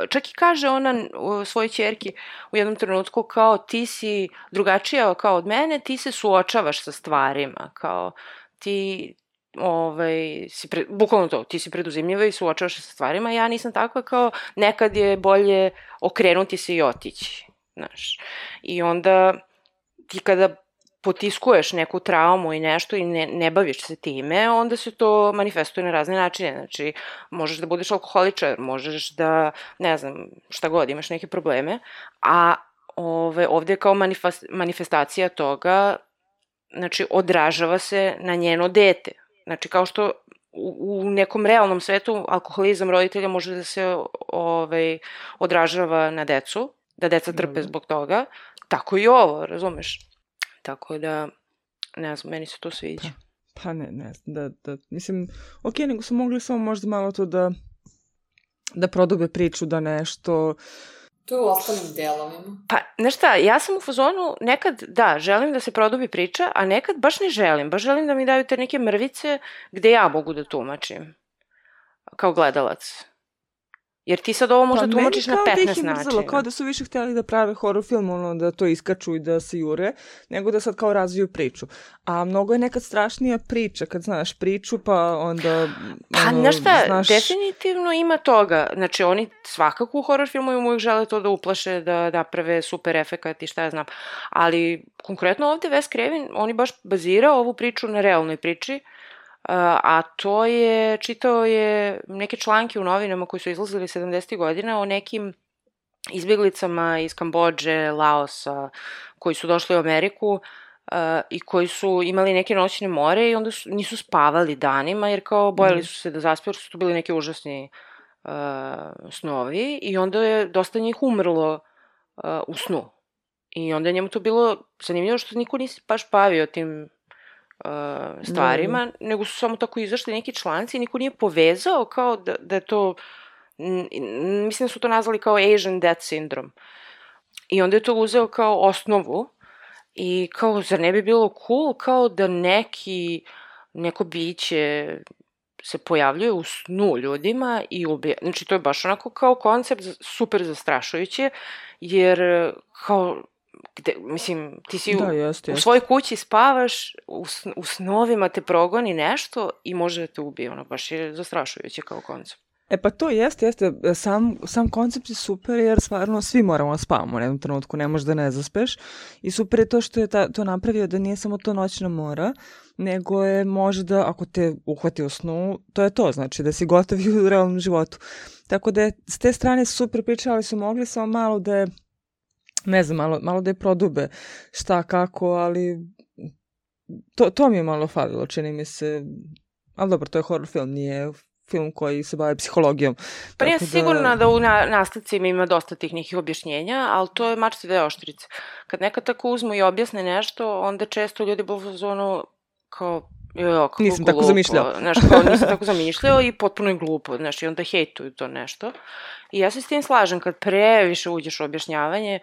čak i kaže ona u svojoj ćerki u jednom trenutku kao ti si drugačija kao od mene, ti se suočavaš sa stvarima, kao ti... Ovaj, si pre, bukvalno to, ti si preduzimljiva i suočavaš se sa stvarima, ja nisam takva, kao nekad je bolje okrenuti se i otići, znaš. I onda ti kada potiskuješ neku traumu i nešto i ne, ne baviš se time, onda se to manifestuje na razne načine, znači možeš da budeš alkoholičar, možeš da, ne znam, šta god, imaš neke probleme, a ove, ovde je kao manifest, manifestacija toga, znači odražava se na njeno dete. Znači, kao što u, u nekom realnom svetu alkoholizam roditelja može da se ovaj, odražava na decu, da deca trpe zbog toga, tako i ovo, razumeš? Tako da, Ne znam, meni se to sviđa. Pa, pa ne, ne znam, da, da, mislim, ok, nego su mogli samo možda malo to da, da prodube priču, da nešto... Tu u ostalim delovima. Pa, znaš šta, ja sam u fazonu, nekad, da, želim da se produbi priča, a nekad baš ne želim. Baš želim da mi daju te neke mrvice gde ja mogu da tumačim. Kao gledalac. Jer ti sad ovo možda pa tumačiš na petnaest načina. Mrzalo, kao da su više htjeli da prave horror film, ono, da to iskaču i da se jure, nego da sad kao razviju priču. A mnogo je nekad strašnija priča, kad znaš priču, pa onda... Pa, ono, znaš šta, znaš... definitivno ima toga. Znači, oni svakako u horror filmu uvijek žele to da uplaše, da naprave super efekat i šta ja znam. Ali, konkretno ovde Wes Craven, oni baš bazira ovu priču na realnoj priči, a to je, čitao je neke članke u novinama koji su izlazili sedamdesetih godina o nekim izbjeglicama iz Kambodže, Laosa, koji su došli u Ameriku uh, i koji su imali neke noćne more i onda su, nisu spavali danima jer kao bojali su se da zaspiju, jer su to bili neki užasni uh, snovi i onda je dosta njih umrlo uh, u snu. I onda je njemu to bilo zanimljivo što niko nisi baš bavio tim Uh, stvarima, no. nego su samo tako izašli neki članci i niko nije povezao kao da, da je to, m, mislim da su to nazvali kao Asian Death Syndrome. I onda je to uzeo kao osnovu i kao, zar ne bi bilo cool kao da neki, neko biće se pojavljuje u snu ljudima i ubija. Znači, to je baš onako kao koncept super zastrašujuće, jer kao gde, mislim, ti si da, u, jest, jest. u svojoj kući spavaš, u, u snovima te progoni nešto i može da te ubije, ono, baš je zastrašujuće kao koncept. E pa to jeste, jeste, sam, sam koncept je super jer stvarno svi moramo da spavamo u jednom trenutku, ne možeš da ne zaspeš i super je to što je ta, to napravio da nije samo to noćna mora, nego je možda, ako te uhvati u snu, to je to, znači da si gotovi u realnom životu. Tako da je s te strane super priča, ali su mogli samo malo da je, ne znam, malo, malo da je prodube šta, kako, ali to, to mi je malo falilo, čini mi se, ali dobro, to je horror film, nije film koji se bavi psihologijom. Pa nije da... sigurno da u na, nastavcima ima dosta tih nekih objašnjenja, ali to je mačci dve oštrice. Kad nekad tako uzmu i objasne nešto, onda često ljudi budu u zonu kao, jo, kako nisam glupo. tako zamišljao. Znaš, kao nisam tako zamišljao i potpuno je glupo. Znaš, i onda hejtuju to nešto. I ja se s tim slažem, kad previše uđeš u objašnjavanje,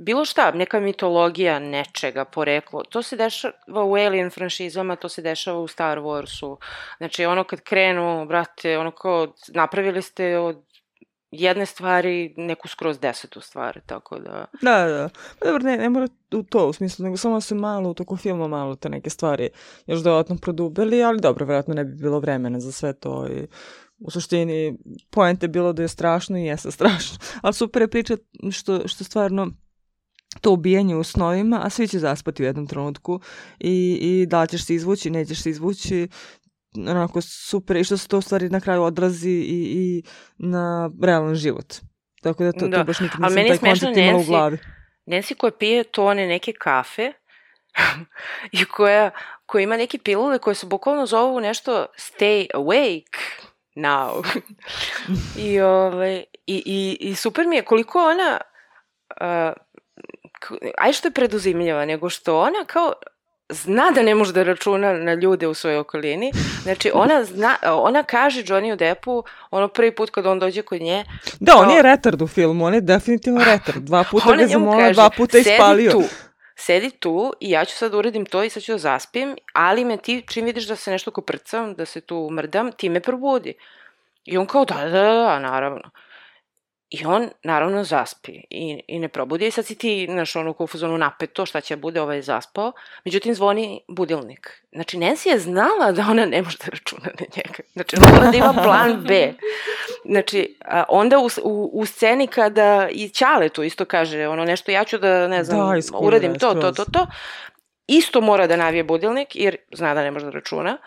bilo šta, neka mitologija nečega, poreklo, to se dešava u Alien franšizama, to se dešava u Star Warsu. Znači, ono kad krenu, brate, ono kao, napravili ste od jedne stvari neku skroz desetu stvari, tako da... Da, da. Pa dobro, ne, ne mora u to, u smislu, nego samo se malo, u toku filma malo te neke stvari još dodatno produbili, ali dobro, vjerojatno ne bi bilo vremena za sve to i... U suštini, poenta je bilo da je strašno i jeste strašno. Ali super je priča što, što stvarno to ubijanje u snovima, a svi će zaspati u jednom trenutku i, i da li ćeš se izvući, nećeš se izvući, onako super, i što se to u stvari na kraju odrazi i, i na realan život. Tako da to, da. to baš nikad nisam taj koncept imala u glavi. Nancy koja pije tone neke kafe i koja, koja ima neke pilule koje se bukvalno zovu nešto stay awake now. I, ove, i, i, i super mi je koliko ona... Uh, aj što je preduzimljiva, nego što ona kao zna da ne može da računa na ljude u svojoj okolini. Znači, ona, zna, ona kaže Johnny Deppu, ono prvi put kad on dođe kod nje... Da, kao, on je retard u filmu, on je definitivno retard. Dva puta ga zamola, dva puta ispalio. Tu, sedi tu i ja ću sad uradim to i sad ću da zaspim, ali me ti, čim vidiš da se nešto koprcam, da se tu mrdam, ti me probudi. I on kao, da, da, da, naravno. I on, naravno, zaspi i, i ne probudi. I sad si ti, znaš, ono, u fazonu napeto, šta će bude, ovaj zaspao. Međutim, zvoni budilnik. Znači, Nancy je znala da ona ne može da računa na njega. Znači, ona mora da ima plan B. Znači, a onda u, u, u sceni kada i Ćale tu isto kaže, ono, nešto, ja ću da, ne znam, da, iskuda, uradim to, to, to, to, isto mora da navije budilnik, jer zna da ne može da računa.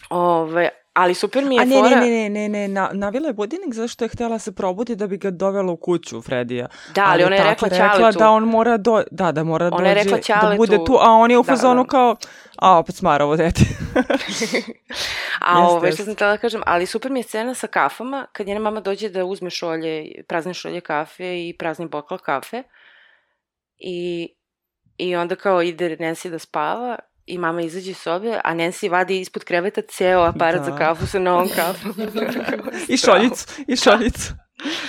Ove, ali super mi je A ne, fora... ne, ne, ne, ne, na, navila je budilnik zato što je htjela se probudi da bi ga dovela u kuću Fredija. Da, ali, ali ona je rekla Ćaletu. Da on mora do, da, da mora ona dođe, da bude tu, a on je u fazonu da, da. kao, a opet smara ovo dete. a ovo, što sam htjela da kažem, ali super mi je scena sa kafama, kad njena mama dođe da uzme šolje, prazne šolje kafe i prazni bokal kafe i, i onda kao ide Nancy da spava i mama izađe iz sobe, a Nancy vadi ispod kreveta ceo aparat Da. za kafu sa novom kafom. I šoljicu, i šoljicu.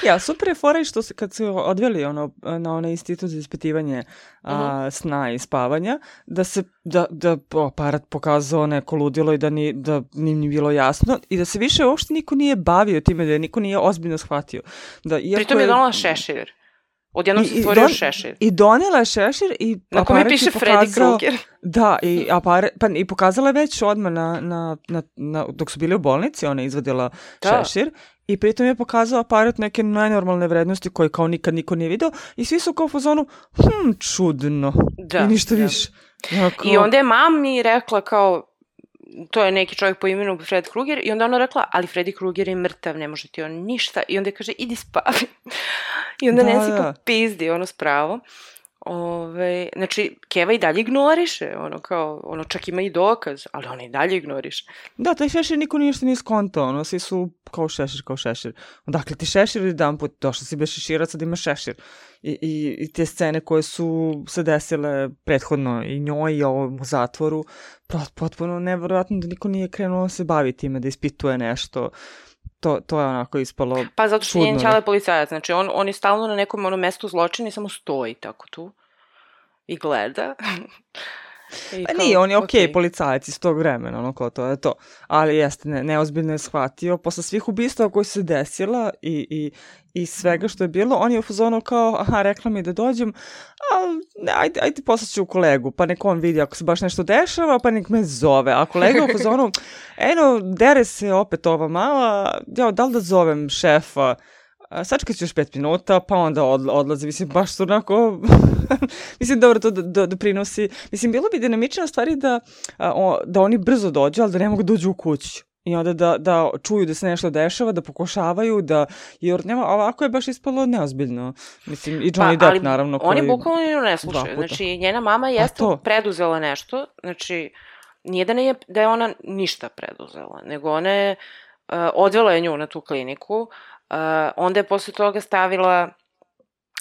Ja, super je fora i što se, kad su odveli ono, na onaj institut za ispitivanje a, Mhm. sna i spavanja, da se, da, da aparat pokazao neko ludilo i da ni, da ni, ni bilo jasno i da se više uopšte niko nije bavio time, da je niko nije ozbiljno shvatio. Da, iako Pritom je donala šešir. Odjednom se I- i stvorio don- šešir. I donela je šešir i Na kome aparat je piše Freddy pokazao- Krueger. Da, i, apare, pa, i pokazala je već odmah na, na, na, na, dok su bili u bolnici, ona je izvadila Da. šešir i pritom je pokazao aparat neke nenormalne vrednosti koje kao nikad niko nije video i svi su kao u fazonu, hm, čudno. Da, I ništa da. više. Ja, kao- I onda je mami rekla kao, to je neki čovjek po imenu Fred Krueger, i onda ona rekla, ali Freddy Krueger je mrtav, ne može ti on ništa. I onda je kaže, idi spavi. I onda Da, Nancy da. popizdi, ono spravo. Ove, znači, Keva i dalje ignoriše, ono kao, ono čak ima i dokaz, ali ona i dalje ignoriše. Da, taj šešir niko ništa nije skontao, ono, svi su kao šešir, kao šešir. Odakle ti šešir jedan put, došla si bez šeširac, sad ima šešir. I, i, I te scene koje su se desile prethodno i njoj i ovom u zatvoru, pot- potpuno nevjerojatno da niko nije krenuo da se bavi time, da ispituje nešto. To, to je onako ispalo Pa zato što čudno, njen da. ćale policajac, znači on, on je stalno na nekom ono mestu zločina i samo stoji tako tu i gleda. I Pa kao, nije, on je okej okej. policajac iz tog vremena, ono kao to je to. Ali jeste, ne, neozbiljno je shvatio. Posle svih ubistava koji su se desila i, i, i svega što je bilo, on je u fazonu kao, aha, rekla mi da dođem, ali ne, ajde, ajde poslaću kolegu, pa nek on vidi ako se baš nešto dešava, pa nek me zove. A kolega u fazonu, eno, dere se opet ova mala, ja, da li da zovem šefa? A, sačekat ću još pet minuta, pa onda odla, odlazi. Mislim, baš su onako... Mislim, dobro, to do, do, doprinosi. Mislim, bilo bi dinamična stvari da, a, o, da oni brzo dođu, ali da ne mogu da uđu u kuću. I onda da, da čuju da se nešto dešava, da pokušavaju, da... Jer nema, ovako je baš ispalo neozbiljno. Mislim, i Johnny Depp, ali naravno. oni koji- bukvalno nju ne dva slušaju. puta. Znači, njena mama jeste to. preduzela nešto, znači, nije da, ne je, da je ona ništa preduzela, nego ona je, uh, odvela je nju na tu kliniku, uh, onda je posle toga stavila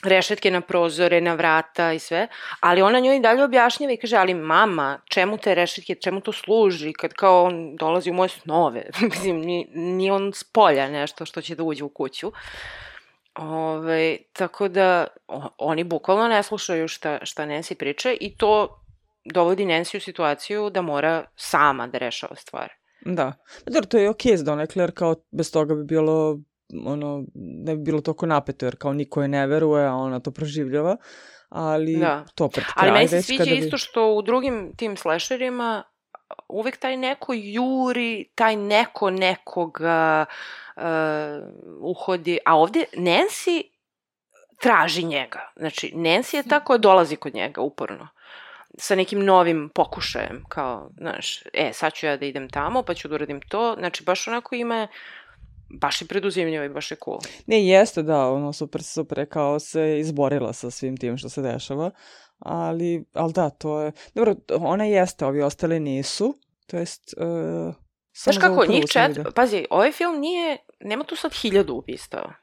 rešetke na prozore, na vrata i sve, ali ona njoj i dalje objašnjava i kaže, ali mama, čemu te rešetke, čemu to služi, kad kao on dolazi u moje snove, mislim, ni, ni on s polja nešto što će da uđe u kuću. Ove, tako da o, oni bukvalno ne slušaju šta, šta Nancy priče i to dovodi Nancy u situaciju da mora sama da rešava stvari. Da. Pa dobro, to je okej za donekle, jer kao bez toga bi bilo, ono, ne bi bilo toliko napeto, jer kao niko je ne veruje, a ona to proživljava. Ali Da. to pred kraj Ali meni se već sviđa kada bi- isto što u drugim tim slasherima uvek taj neko juri, taj neko nekoga uh, uhodi, a ovdje Nancy traži njega. Znači, Nancy je ta koja dolazi kod njega uporno sa nekim novim pokušajem, kao, znaš, e, sad ću ja da idem tamo, pa ću da uradim to. Znači, baš onako ima, baš je preduzimljivo i baš je cool. Ne, jeste, da, ono, super, super je kao se izborila sa svim tim što se dešava, ali, ali da, to je, dobro, ona jeste, ovi ostali nisu, to jest, uh, Znaš kako, njih čet... Pazi, ovaj film nije, nema tu sad hiljadu ubistava.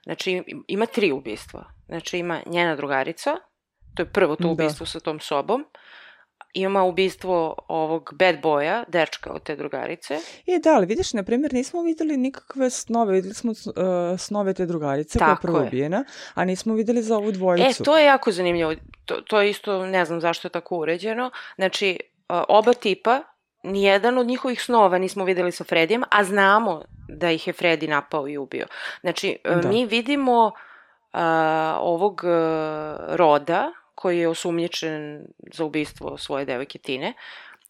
Znači, ima tri ubistva. Znači, ima njena drugarica, to je prvo to Da. ubistvo sa tom sobom, ima ubistvo ovog bad boya, dečka od te drugarice. I da, ali vidiš, na primjer, nismo videli nikakve snove, videli smo uh, snove te drugarice koja je Tako prvo je. ubijena, a nismo videli za ovu E, dvojicu. to je jako zanimljivo. To, to je isto, ne znam zašto je tako uređeno. Znači, uh, oba tipa, nijedan od njihovih snova nismo videli sa Fredijem, a znamo da ih je Fredi napao i ubio. Znači, uh, Da. mi vidimo uh, ovog uh, Roda, koji je osumnjičen za ubistvo svoje devojke Tine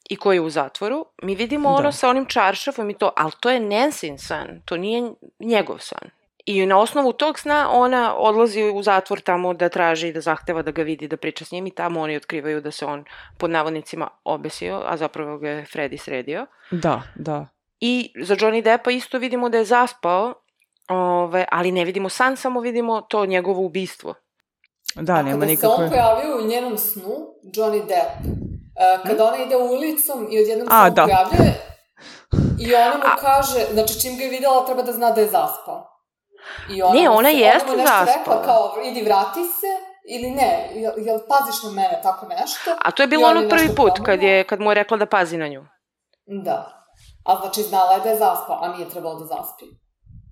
i koji je u zatvoru, mi vidimo ono Da. sa onim čaršafom i to, ali to je Nancy san, to nije njegov san. I na osnovu tog sna ona odlazi u zatvor tamo da traži i da zahteva da ga vidi, da priča s njim i tamo oni otkrivaju da se on pod navodnicima obesio, a zapravo ga je Freddy sredio. Da, da. I za Johnny Deppa isto vidimo da je zaspao, ove, ali ne vidimo san, samo vidimo to njegovo ubistvo. Da, A nema kada se nikakve... on pojavio u njenom snu, Johnny Depp, uh, kada ona ide ulicom i odjednom se A, on da. pojavljuje i ona mu kaže, znači čim ga je videla treba da zna da je zaspao. I ona Ne, mu ona se- jeste ona mu nešto zaspala. rekla kao, idi vrati se ili ne, jel, jel paziš na mene, tako nešto. A to je bilo ono prvi put, kad, je, kad mu je rekla da pazi na nju. Da. A znači znala je da je zaspala, a nije trebalo da zaspi.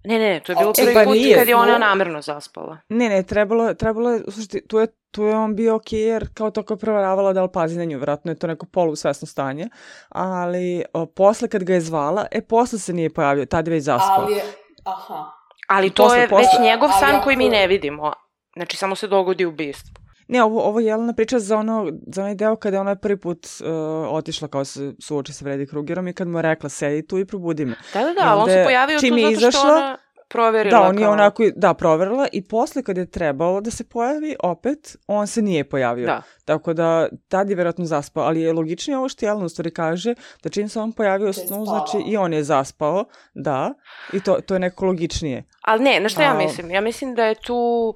Ne, ne, to je bilo A, prvi pa put nije. kad je ona namerno zaspala. Ne, ne, trebalo, trebalo je, slušajte, tu je, tu je on bio okej, jer kao to kao proveravala da li pazi na nju, vjerojatno je to neko polusvesno stanje, ali o, posle kad ga je zvala, e, posle se nije pojavio, tad je već zaspao. Ali je, aha. Ali to Posle, je posle. već njegov Ali san ako- koji mi ne vidimo. Znači, samo se dogodi ubistvo. Ne, ovo, ovo je Jelena priča za ono, za onaj deo kada je ona prvi put uh, otišla kao se suoči sa Freddy Kruegerom i kad mu je rekla, sedi tu i probudi me. Da, da, I da, ali on onda se je- pojavio čim tu je zato što izašla, ona proverila. Da, on je kao- onako, da, proverila i posle kad je trebalo da se pojavi opet, on se nije pojavio. Da. Tako da, tad je vjerojatno zaspao, ali je logičnije ovo što Jelena u stvari kaže, da čim se on pojavio u Da je snu, spavao. znači i on je zaspao, da, i to, to je neko logičnije. Ali ne, na što ja A- mislim? Ja mislim da je tu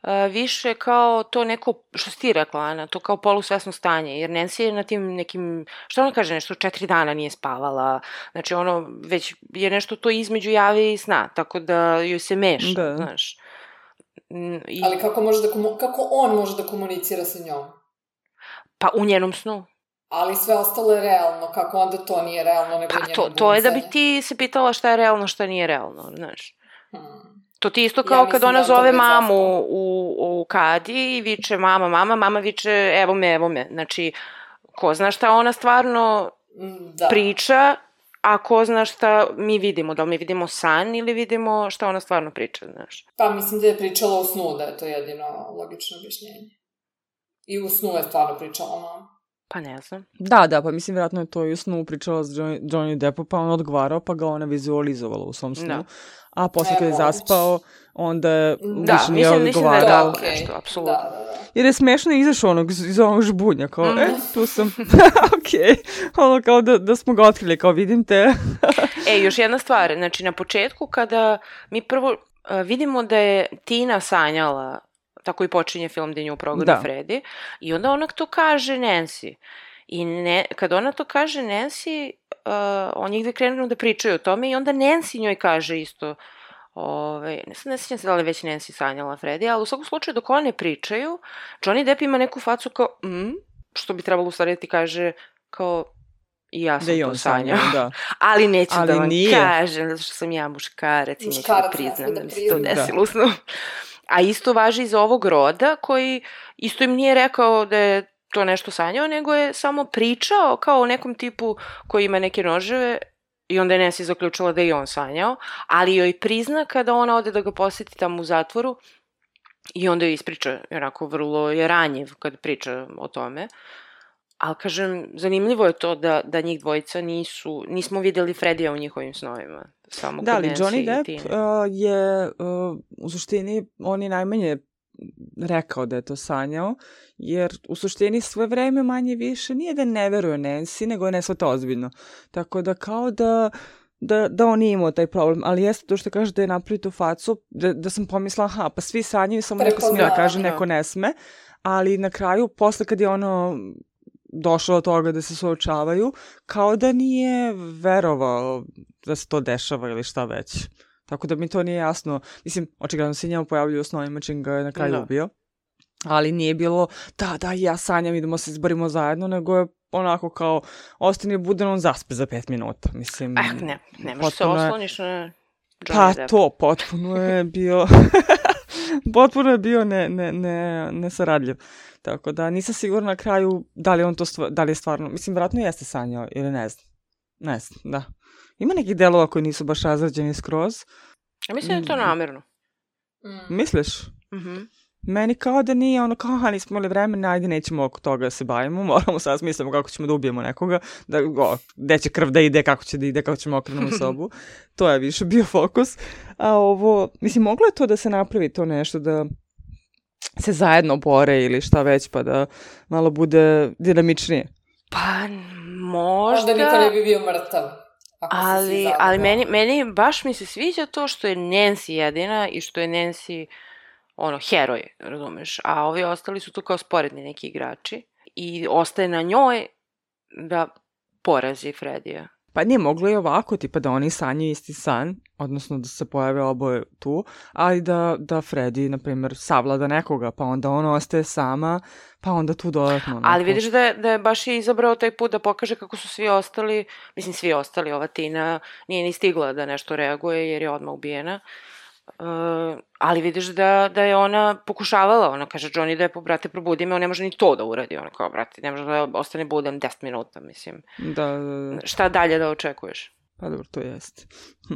uh, više kao to neko, što si ti rekla, Ana, to kao polusvesno stanje, jer Nancy je na tim nekim, što ona kaže, nešto četiri dana nije spavala, znači ono, već je nešto to između jave i sna, tako da joj se meša, Da. znaš. Mm, I, Ali kako, može da komu- kako on može da komunicira sa njom? pa u njenom snu. Ali sve ostalo je realno, kako onda to nije realno, nego Pa njeno to, to je da bi buncanje. ti se pitala šta je realno, šta nije realno, znaš. Hmm. To ti isto Ja kao mislim kad da ona on to zove već mamu zaspao. u, u kadi i viče mama, mama, mama viče evo me, evo me. Znači, ko zna šta ona stvarno Mm, Da. priča, a ko zna šta mi vidimo. Da li mi vidimo san ili vidimo šta ona stvarno priča, znaš. Pa mislim da je pričala u snu, da je to jedino logično objašnjenje. I u snu je stvarno pričala mama. Pa ne znam. Da, da, pa mislim vjerojatno je to i u snu pričala s Johnny, Johnny Deppom, pa on odgovarao, pa ga ona vizualizovala u svom snu. Da. A posle E, kad je moguće. zaspao, onda je Da, više nije mislim- mislim da je odgovarao. tako. okej. nešto, apsolutno. Da, da, da. Jer je smešno izašao onog, iz onog žbunja, kao, Mhm. e, tu sam, okej, ono kao da, da smo ga otkrili, kao vidim te. E, još jedna stvar, znači na početku kada mi prvo uh, vidimo da je Tina sanjala, tako i počinje film gdje nju progoni Da. Freddy, i onda ona to kaže Nancy. I ne, kad ona to kaže Nancy, uh, oni gdje krenu da pričaju o tome i onda Nancy njoj kaže isto, ovaj, ne, ne sjećam se da li je već Nancy sanjala Freddy, ali u svakom slučaju dok one pričaju, Johnny Depp ima neku facu kao, mm, što bi trebalo u stvari da ti kaže kao, i ja sam Da i to on sanjao. sanjao, da. Ali neću Ali da vam nije. kažem, zato što sam ja muškarac i neću da Muškarac, priznam ne da sme da mi se to prizna. desilo u snu. A isto važi i za ovog roda koji isto im nije rekao da je to nešto sanjao, nego je samo pričao kao o nekom tipu koji ima neke noževe i onda je Nancy zaključila da je i on sanjao, ali joj prizna kada ona ode da ga posjeti tamo u zatvoru i onda joj ispriča, onako vrlo je ranjiv kad priča o tome. Ali kažem, zanimljivo je to da, da njih dvojica nisu, nismo vidjeli Fredija u njihovim snovima. Samo Da, kod ali Nancy Johnny i Depp Tine. uh, je uh, u suštini, on je najmanje rekao da je to sanjao, jer u suštini sve vreme manje više nije da ne veruje Nancy, nego je ne shvata ozbiljno. Tako da kao da, da, da on nije imao taj problem, ali jeste to što kaže da je napravio tu facu, da, da sam pomislila, aha, pa svi sanjaju, samo neko smije da kaže, Prepoznao, neko ne sme, ali na kraju, posle kad je ono došlo do toga da se suočavaju, kao da nije verovao da se to dešava ili šta već. Tako da mi to nije jasno. Mislim, očigledno se njemu pojavljaju u snovima čim ga je na kraju Da. ubio. Ali nije bilo, da, da, ja sanjam, idemo se izborimo zajedno, nego je onako kao, ostane budan, on zaspe za pet minuta. Mislim, Ah, ne, ne možeš se potpuno je- osloniš na Johnny Pa Depp. to, potpuno je bio, potpuno je bio ne, ne, ne, nesaradljiv. Tako da nisam sigurna na kraju da li on to stva, da li je stvarno, mislim, vjerojatno jeste sanjao ili ne znam. Ne znam, da. Ima nekih delova koji nisu baš razrađeni skroz. Ja mislim da je to namjerno. Mm. Misliš? Mhm. Meni kao da nije ono kao, aha, nismo imali vremena, ajde nećemo oko toga da se bavimo, moramo sad smislimo kako ćemo da ubijemo nekoga, da, o, gde će krv da ide, kako će da ide, kako ćemo okrenu sobu. To je više bio fokus. A ovo, mislim, moglo je to da se napravi to nešto, da se zajedno bore ili šta već, pa da malo bude dinamičnije. Pa možda... Možda niko ne bi bio mrtav. Ako se svi Ali, zajedno ali bore. meni, meni baš mi se sviđa to što je Nancy jedina i što je Nancy ono, heroj, razumeš, a ovi ostali su tu kao sporedni neki igrači i ostaje na njoj da porazi Fredija. Pa nije, moglo je ovako, tipa da oni sanjaju isti san, odnosno da se pojave oboje tu, ali da, da Freddy, na primjer, savlada nekoga, pa onda ona ostaje sama, pa onda tu dodatno. Onako. Ali vidiš da je, da je baš i izabrao taj put da pokaže kako su svi ostali, mislim svi ostali, ova Tina nije ni stigla da nešto reaguje jer je odmah ubijena. Uh, ali vidiš da, da je ona pokušavala, ona kaže Johnny Deppu, brate, probudi me, on ne može ni to da uradi, ona kao, brate, ne može da ostane budan deset minuta, mislim. Da, da, da. Šta dalje da očekuješ? Pa dobro, to jeste. Hm.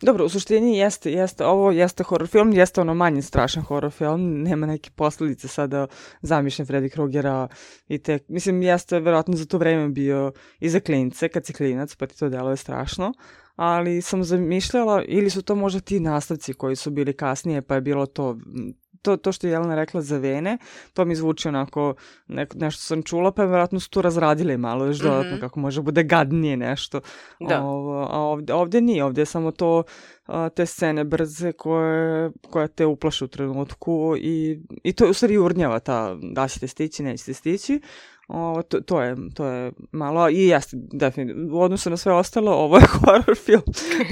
Dobro, u suštini jeste, jeste, ovo jeste horror film, jeste ono manje strašan horror film, nema neke posljedice sada zamišljen Freddy Krugera i te, mislim, jeste verovatno za to vreme bio i za klince, kad si klinac, pa ti to deluje strašno, ali sam zamišljala, ili su to možda ti nastavci koji su bili kasnije, pa je bilo to, to, to što je Jelena rekla za Vene, to mi zvuči onako, ne, nešto sam čula, pa verovatno su tu razradili malo još dodatno, mm-hmm. kako može bude gadnije nešto. Da. O, a ovdje, ovdje nije, ovdje je samo to, a, te scene brze koje, koje te uplaše u trenutku i, i to je u stvari urnjava ta, da ćete stići, nećete stići. O, to, to, je, to je malo, i jeste, definitivno, u odnosu na sve ostalo, ovo je horror film.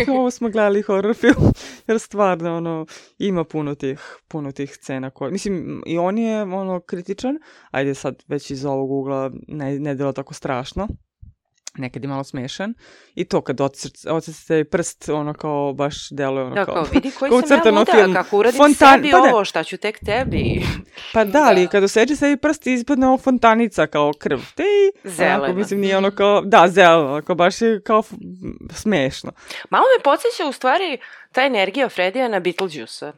Ovo smo gledali horror film, jer stvarno, ono, ima puno tih, puno tih scena koje, mislim, i on je, ono, kritičan, ajde sad već iz ovog ugla ne, ne delo tako strašno, nekad je malo smešan, i to kad ocrcate prst, ono kao baš deluje ono da, kao... kao vidi koji sam ja luda, film. Kako uradim Fontan... sebi pa ovo, šta ću tek tebi. Pa da, ali kad oseče sebi prst ispadne ovo fontanica kao krv. Te zelena. Onako, mislim, nije ono kao... Da, zeleno, onako, baš je kao f... smešno. Malo me podsjeća u stvari ta energija Fredija na Beetlejuice-a.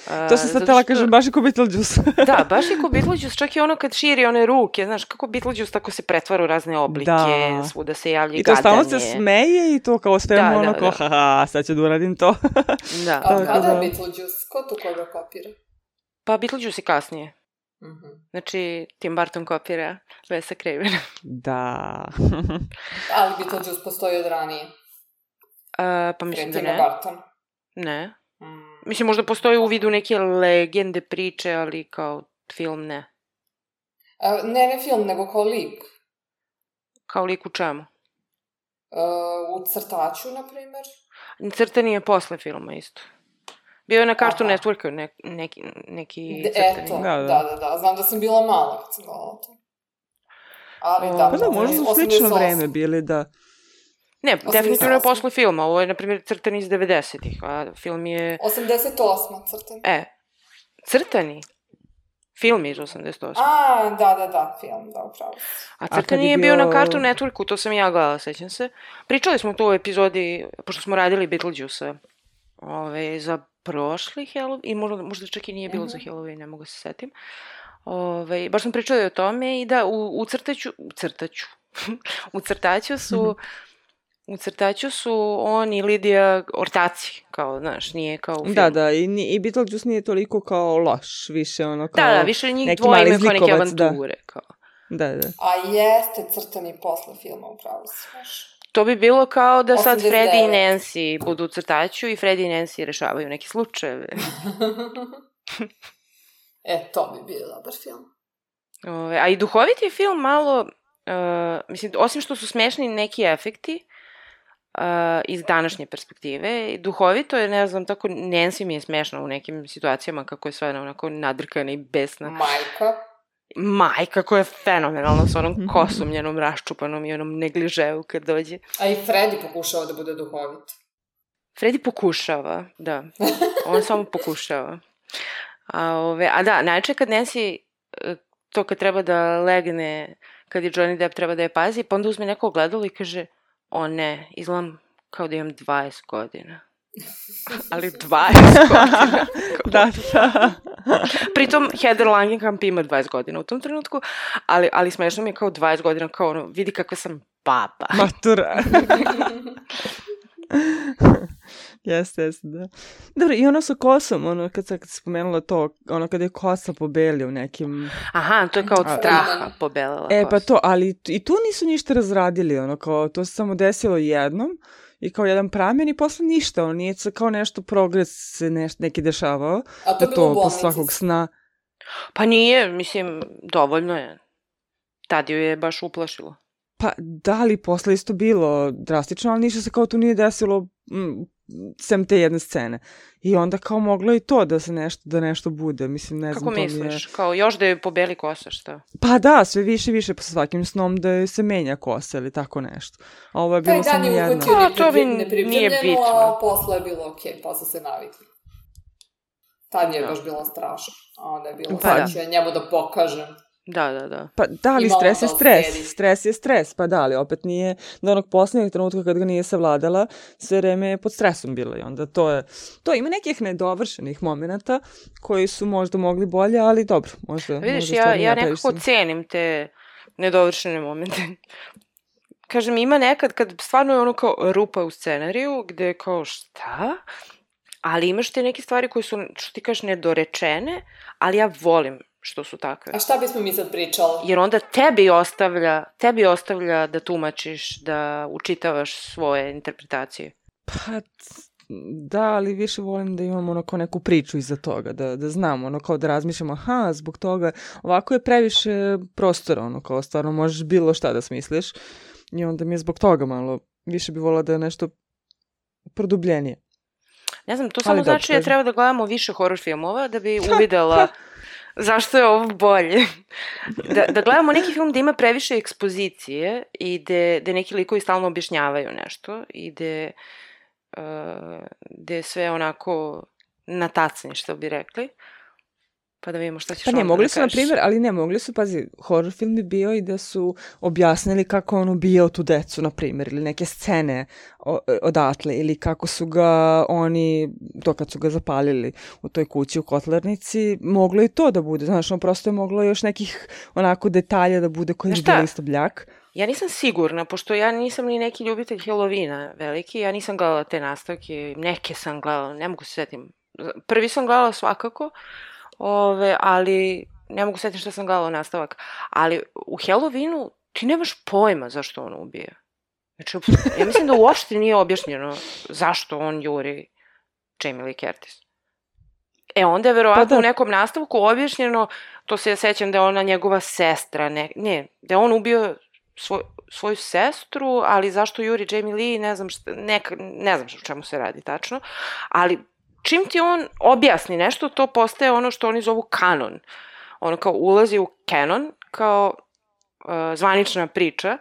Uh, to sam sad tela što... kažem, baš je ko Beetlejuice. Da, baš je ko Beetlejuice, čak i ono kad širi one ruke, znaš, kako Beetlejuice tako se pretvara u razne oblike, da. Svuda se javlja i gadanje. I to gadanje. stalno se smeje i to kao svemu da, ono da, kao, da. haha, sad ću da uradim to. Da. A kada je Beetlejuice? Ko tu koga kopira? Pa Beetlejuice je kasnije. Mm-hmm. Znači, Tim Burton kopira Wesa Cravena. Da. Ali Beetlejuice postoji od ranije. Uh, pa mislim da ne. Burton. Ne. Mm. Mislim, možda postoji u vidu neke legende, priče, ali kao film ne. A, ne, ne film, nego kao lik. Kao lik u čemu? Uh, u Crtaču, na primjer. Crtani je posle filma isto. Bio je na Cartoon Networku ne, neki, neki crtani. Eto, da, da. da, da. Znam da sam bila mala kad sam gledala to. Ali o, da, pa da, možda su slično vreme bili da... Ne, definitivno je posle filma. Ovo je, na primjer, Crtani iz devedesetih, a film je... osamdeset osma Crtani. E, Crtani? Film je iz osamdeset osme. A, da, da, da, film, da, upravo. A Crtani je bio... bio na Cartoon Networku, to sam ja gledala, sećam se. Pričali smo tu u epizodi, pošto smo radili Beetlejuice ove, za prošli Halloween, i možda, možda čak i nije bilo mm-hmm. za Halloween, ne mogu se setim. Ove, baš smo pričali o tome i da u, u crtaću, u crtaću, u crtaću su... Mm-hmm. U Crtaću su on i Lidija ortaci, kao, znaš, nije kao u filmu. Da, da, i, i Beetlejuice nije toliko kao loš, više ono kao... Da, da, više njih dvoje imaju kao neke avanture, da. Kao. Da, da. A jeste Crtani posle filma, upravo se, znaš. To bi bilo kao da sad Freddy i Nancy budu u Crtaću i Freddy i Nancy rešavaju neke slučajeve. E, to bi bio dobar film. Ove, a i duhoviti film malo, uh, mislim, osim što su smešni neki efekti, Uh, iz današnje perspektive. Duhovito je, ne znam, tako Nancy mi je smešna u nekim situacijama kako je sve onako nadrkana i besna. Majka. Majka koja je fenomenalna s onom kosom njenom raščupanom i onom negliževu kad dođe. A i Freddy pokušava da bude duhovit. Freddy pokušava, da. On samo pokušava. A, ove, a da, najče kad Nancy to kad treba da legne, kad je Johnny Depp treba da je pazi, pa onda uzme neko ogledalo i kaže o ne, izgledam kao da imam dvadeset godina. Ali dvadeset godina. Da, da. Pritom Heather Langenkamp ima dvadeset godina u tom trenutku, ali, ali smešno mi je kao dvadeset godina, kao ono, vidi kakva sam baba. Matura. Jeste, jeste, da. Dobro, i ono sa kosom, ono, kad sam spomenula to, ono, kada je kosa pobelila u nekim... Aha, to je kao od straha pobelela kosa. E, pa to, ali i tu nisu ništa razradili, ono, kao, to se samo desilo jednom i kao jedan pramen i posle ništa, ono, nije kao nešto progres se neš, neki dešavao. A to da to po svakog sna... Pa nije, mislim, dovoljno je. Tad ju je baš uplašilo. Pa da li posle isto bilo drastično, ali ništa se kao tu nije desilo m, sem te jedne scene. I onda kao moglo i to da se nešto, da nešto bude. Mislim, ne Kako znam, to mi misliš? je... Kao još da je pobeli kosa, šta? Pa da, sve više i više po svakim snom da se menja kosa ili tako nešto. A ovo je bilo samo jedno. Taj dan je uhvatio A, to mi nepripremljeno, nije bitno. a posle je bilo okej, okay, posle se navikli. Tad je Da. baš bilo strašno. A onda je bilo, Pa sad da. ću ja njemu da pokažem. Da, da, da. Pa da, ali Ima stres je onda u stres. seriji. Stres je stres, pa da, ali opet nije do onog posljednjeg trenutka kad ga nije savladala, sve vreme je pod stresom bila i onda to je, to ima nekih nedovršenih momenata koji su možda mogli bolje, ali dobro, možda, Vidiš, možda ja, stvarno ja previše nekako sam- cenim te nedovršene momente. Kažem, ima nekad kad stvarno je ono kao rupa u scenariju, gde je kao šta? Ali imaš te neke stvari koje su, što ti kažeš, nedorečene, ali ja volim što su takve. A šta bismo mi sad pričali? Jer onda tebi ostavlja, tebi ostavlja da tumačiš, da učitavaš svoje interpretacije. Pa da, ali više volim da imamo ono kao neku priču iza toga, da, da znamo, ono kao da razmišljamo, aha, zbog toga, ovako je previše prostora, ono kao stvarno možeš bilo šta da smisliš i onda mi je zbog toga malo, više bi volila da je nešto produbljenije. Ne znam, to Ali samo dobro, znači da kažem. treba da gledamo više horror filmova da bi uvidela zašto je ovo bolje. Da, da gledamo neki film da ima previše ekspozicije i gde, gde neki likovi stalno objašnjavaju nešto i gde, uh, gde je sve onako na tacni, što bi rekli. Pa da vidimo šta ćeš Pa ne, onda mogli da su, na kažeš. primjer, ali ne, mogli su, pazi, horror film bi bio i da su objasnili kako on ubijao tu decu, na primjer, ili neke scene o, odatle, ili kako su ga oni, to kad su ga zapalili u toj kući u Kotlarnici, moglo i to da bude, znaš, on prosto je moglo još nekih onako detalja da bude koji Znaš bi šta? bili isto bljak. Ja nisam sigurna, pošto ja nisam ni neki ljubitelj Halloweena veliki, ja nisam gledala te nastavke, neke sam gledala, ne mogu se setim. Prvi sam gledala svakako, ove, ali ne mogu se setim šta sam gledala nastavak. Ali u Halloweenu ti nemaš pojma zašto on ubije. Znači, ja mislim da uopšte nije objašnjeno zašto on juri Jamie Lee Curtis. E, onda je verovatno Pa da. u nekom nastavku objašnjeno, to se ja sećam da je ona njegova sestra, ne, ne da je on ubio svoj, svoju sestru, ali zašto juri Jamie Lee, ne znam, šta, neka, ne znam o čemu se radi tačno, ali čim ti on objasni nešto, to postaje ono što oni zovu kanon. Ono kao ulazi u canon, kao uh, zvanična priča,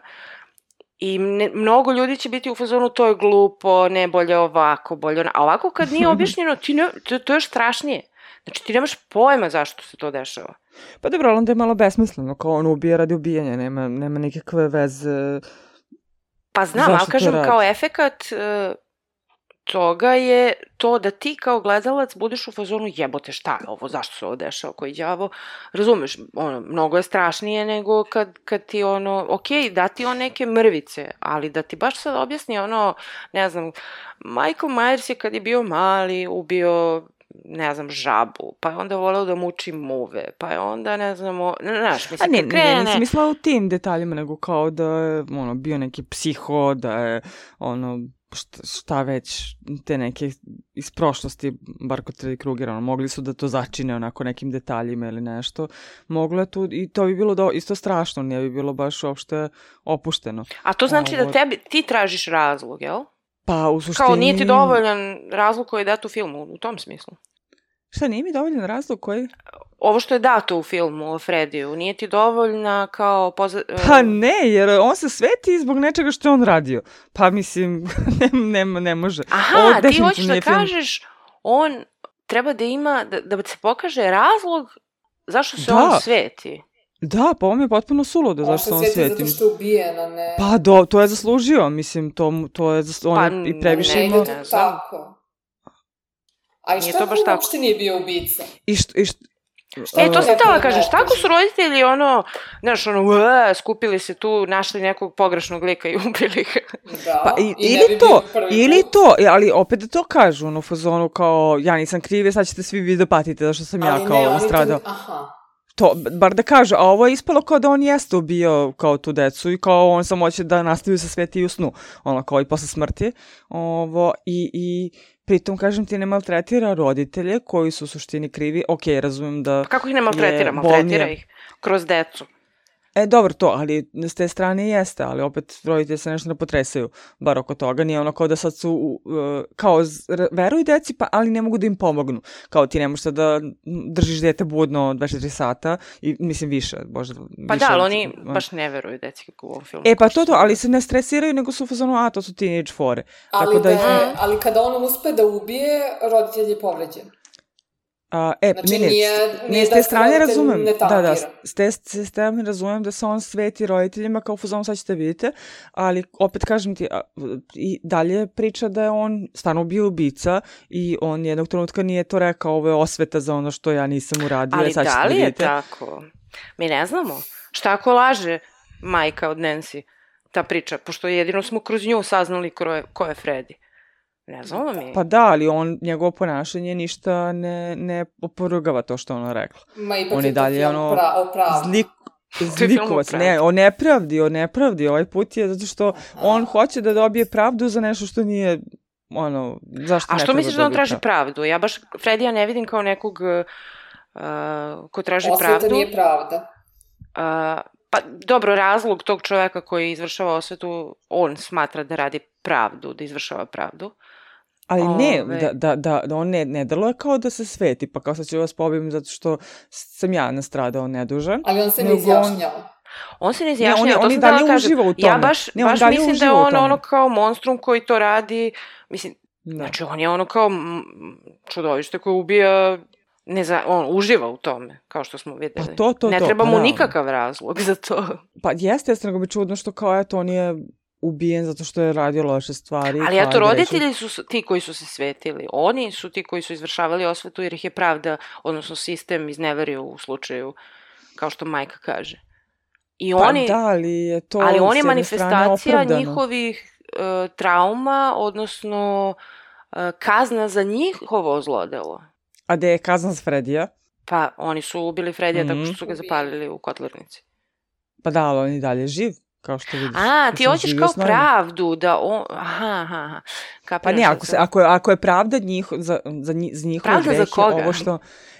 i ne, mnogo ljudi će biti u fazonu to je glupo, ne bolje ovako, bolje ono. A ovako kad nije objašnjeno, ti ne, to, to je još strašnije. Znači ti nemaš pojma zašto se to dešava. Pa dobro, ali onda je malo besmisleno, kao on ubija radi ubijanja, nema, nema nikakve veze. Pa znam, Zašto ali to kažem radi? kao efekat uh, toga je to da ti kao gledalac budeš u fazonu jebote šta je ovo, zašto se ovo dešava, koji đavo, razumeš, ono, mnogo je strašnije nego kad, kad ti ono, okej, da ti on neke mrvice, ali da ti baš sad objasni ono, ne znam, Michael Myers je kad je bio mali ubio, ne znam, žabu, pa je onda voleo da muči muve, pa je onda, ne znamo, znaš, A mislim, ne, kad ne, krene... nisam mislila u tim detaljima, nego kao da je ono, bio neki psiho, da je ono, šta, šta već, te neke iz prošlosti, bar kod Freddy Krugera, ono, mogli su da to začine onako nekim detaljima ili nešto. Moglo je tu, i to bi bilo do, isto strašno, nije bi bilo baš uopšte opušteno. A to znači da Ovo- tebi, ti tražiš razlog, jel? Pa u suštini... Kao nije ti dovoljan razlog koji je dat u filmu, u tom smislu. Šta, nije mi dovoljan razlog koji? Ovo što je dato u filmu o Frediju, nije ti dovoljna kao... Poza... Pa ne, jer on se sveti zbog nečega što je on radio. Pa mislim, ne, ne, ne može. Aha, Ovo ti definitivno hoćeš da nije film. kažeš, on treba da ima, da, da se pokaže razlog zašto se Da. on sveti. Da, pa ovo mi je potpuno suludo On zašto se se on sveti sveti. zato što je ubijen, a ne... Pa do, to je zaslužio, mislim, to, mu- to je, zas- on Pa, je i previše ne imao... ide ne to znam. tako. A i Nije šta to baš on tako. uopšte nije bio ubica? I što, i što, E, to sam Kako htjela da kažeš, ne tako kažeš? su roditelji, ono, znaš, ono, uaa, skupili se tu, našli nekog pogrešnog lika i ubili ga. Da. Pa, i, I ne ili bi to, bio prvi ili put. to, e, ali opet da to kažu, ono, u fazonu kao, ja nisam kriv, sad ćete svi vi da patite, zašto sam ja Ali kao ne, oni to- stradao. Aha. To, bar da kažu, a ovo je ispalo kao da on jeste ubio kao tu decu i kao on samo hoće da nastavi se sveti i u snu, ono, kao i posle smrti. Ovo, i, i pritom, kažem ti, ne maltretira roditelje koji su u suštini krivi. Ok, razumijem da... Pa kako ih ne maltretira? je Maltretira bolnije. ih kroz decu. E, dobro to, ali s te strane jeste, ali opet roditelji se nešto ne potresaju, bar oko toga. Nije ono kao da sad su, uh, kao z- r- veruju deci, pa, ali ne mogu da im pomognu. Kao ti ne možeš sad da držiš dete budno dvadeset četiri sata, i mislim više, možda Pa više da, ali od- oni on- baš ne veruju deci kako u ovom filmu. E, pa kao što to to, sam ali rekla. se ne stresiraju, nego su u fazonu, a, to su teenage fore. Ali, Tako da da ih- je, ali kada on uspe da ubije, roditelj je povređen. A, e, Znači, ne, ne, nije- s- nije ne, s da te se strane roditelj razumem, ne da, da, tangira. s te, s te strane razumem da se on sveti roditeljima kao fuzon sad ćete vidite, ali opet kažem ti, a, i dalje priča da je on stvarno bio ubica i on jednog trenutka nije to rekao, ovo je osveta za ono što ja nisam uradio, Ali sad ćete da li je vidite. tako? Mi ne znamo. Šta ako laže majka od Nancy, ta priča, pošto jedino smo kroz nju saznali ko je, ko je Freddy. Ne znamo mi. Pa da, ali on, njegovo ponašanje ništa ne, ne oporugava to što je ona rekla. Ma ipak On je je to dalje film ono pra, o pravu. zlik, To je film o zlikovac. pravdi. Ne, o nepravdi, o nepravdi. Ovaj put je zato što on hoće da dobije pravdu za nešto što nije, ono, zašto A ne što treba misliš da on dobiti traži pravdu? pravdu? Ja baš Fredija ne vidim kao nekog uh, ko traži Osveta pravdu. nije pravda. Uh, pa dobro, razlog tog čoveka koji izvršava osvetu, on smatra da radi pravdu, da izvršava pravdu. Ali ne, Ove- da, da, da, da on ne, ne deluje kao da se sveti, pa kao sad ću vas pobijem zato što sam ja nastradao nedužan. Ali on se ne Nego on- izjašnjava. On se ne Ne, izjašnjava, on je- to on sam i dalje htela da kažem. uživa u Ja tome. baš, Ne, on baš dalje mislim da uživa je u on tome. ono kao monstrum koji to radi, mislim, Da. znači on je ono kao m, čudovište koje ubija, ne za, on uživa u tome, kao što smo videli. Pa to, to, ne to, treba pa mu da. nikakav razlog za to. Pa jeste, jeste, nego mi čudno što kao, eto, on je ubijen zato što je radio loše stvari. Ali kao eto, je grešio. roditelji su s- ti koji su se svetili. Oni su ti koji su izvršavali osvetu jer ih je pravda, odnosno sistem izneverio u slučaju, kao što majka kaže. I Pa oni, da, ali je to ali on s je jedne manifestacija strane opravdano. njihovih e, trauma, odnosno e, kazna za njihovo zlodelo. A gde je kazna za Fredija? Pa oni su ubili Fredija tako Mhm. što su ga zapalili u kotlarnici. Pa da, ali on je dalje živ, kao što vidiš. A, ti Mislim, hoćeš živio kao s nama. pravdu da on... Aha, aha, aha. Pa Kapiram ne, šta ako, se, sam- ako, je, ako je pravda njiho, za, za, nji- za njihove Pravda za grehe, koga? ovo što...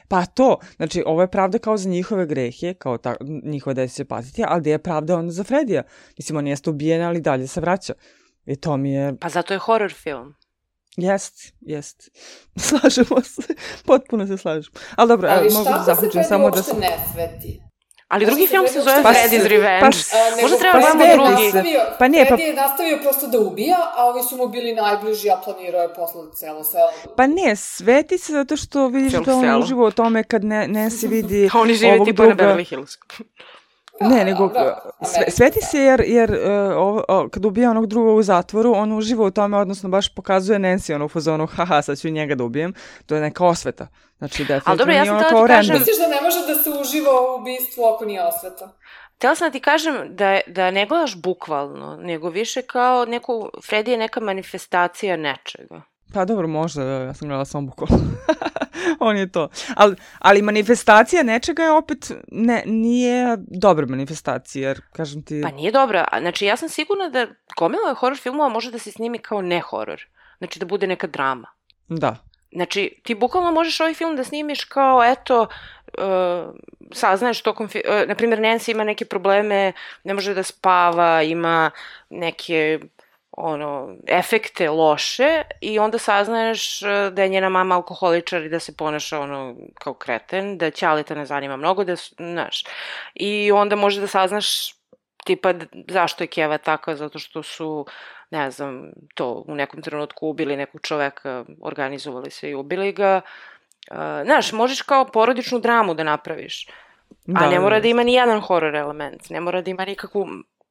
Pa to, znači, ovo je pravda kao za njihove grehe, kao ta, njihove desi će patiti, ali gde je pravda onda za Fredija? Mislim, on jeste ubijen, ali dalje se vraća. I to mi je... Pa zato je horror film. Jest, jest. Slažemo se. Potpuno se slažemo. Ali dobro, Ali evo, mogu šta da ako se zaključim Freddy samo da uopšte sam... ne sveti? Ali Možda drugi se film Freddy se zove uopšte Freddy's ne Revenge. Pa- A, nego Možda treba pa da Freddy je gledamo sveti drugi. se. nastavio- Pa ne, pa- Freddy je nastavio prosto da ubija, a ovi su mu bili najbliži, a planirao je posle celo selo. Pa ne, sveti se zato što vidiš Cijelo da on selo. uživa u tome kad ne, ne se vidi A oni žive ovog tipa na druga... Beverly Hills. Ne, nego dobro, sve, Amerika, sveti da. se jer, jer uh, ovo, o, kad ubija onog drugog u zatvoru, on uživa u tome, odnosno baš pokazuje Nancy ono u fazonu, haha, sad ću i njega da ubijem. To je neka osveta. Znači, definitivno dobro, ja nije sam ono htela kao ti kažem- random. Misliš da ne može da se uživa u ubistvu ako nije osveta? Htela sam da ti kažem da, je- da ne gledaš bukvalno, nego više kao neku, Freddy je neka manifestacija nečega. Pa dobro, možda, da, ja sam gledala samo bukvalno. On je to. Ali, ali manifestacija nečega je opet, ne, nije dobra manifestacija, jer, kažem ti... Pa nije dobra. A, Znači, ja sam sigurna da gomila horror filmova može da se snimi kao ne horror. Znači, da bude neka drama. Da. Znači, ti bukvalno možeš ovaj film da snimiš kao, eto, uh, saznaješ tokom, fi- uh, na primjer, Nancy ima neke probleme, ne može da spava, ima neke, ono, efekte loše i onda saznaješ uh, da je njena mama alkoholičar i da se ponaša, ono, kao kreten, da Ćaleta ne zanima mnogo, da, su- znaš, i onda može da saznaš tipa d- zašto je Keva takva, zato što su, ne znam, to u nekom trenutku ubili nekog čoveka, organizovali se i ubili ga. Uh, znaš, možeš kao porodičnu dramu da napraviš, a ne mora da ima ni jedan horror element, ne mora da ima nikakvu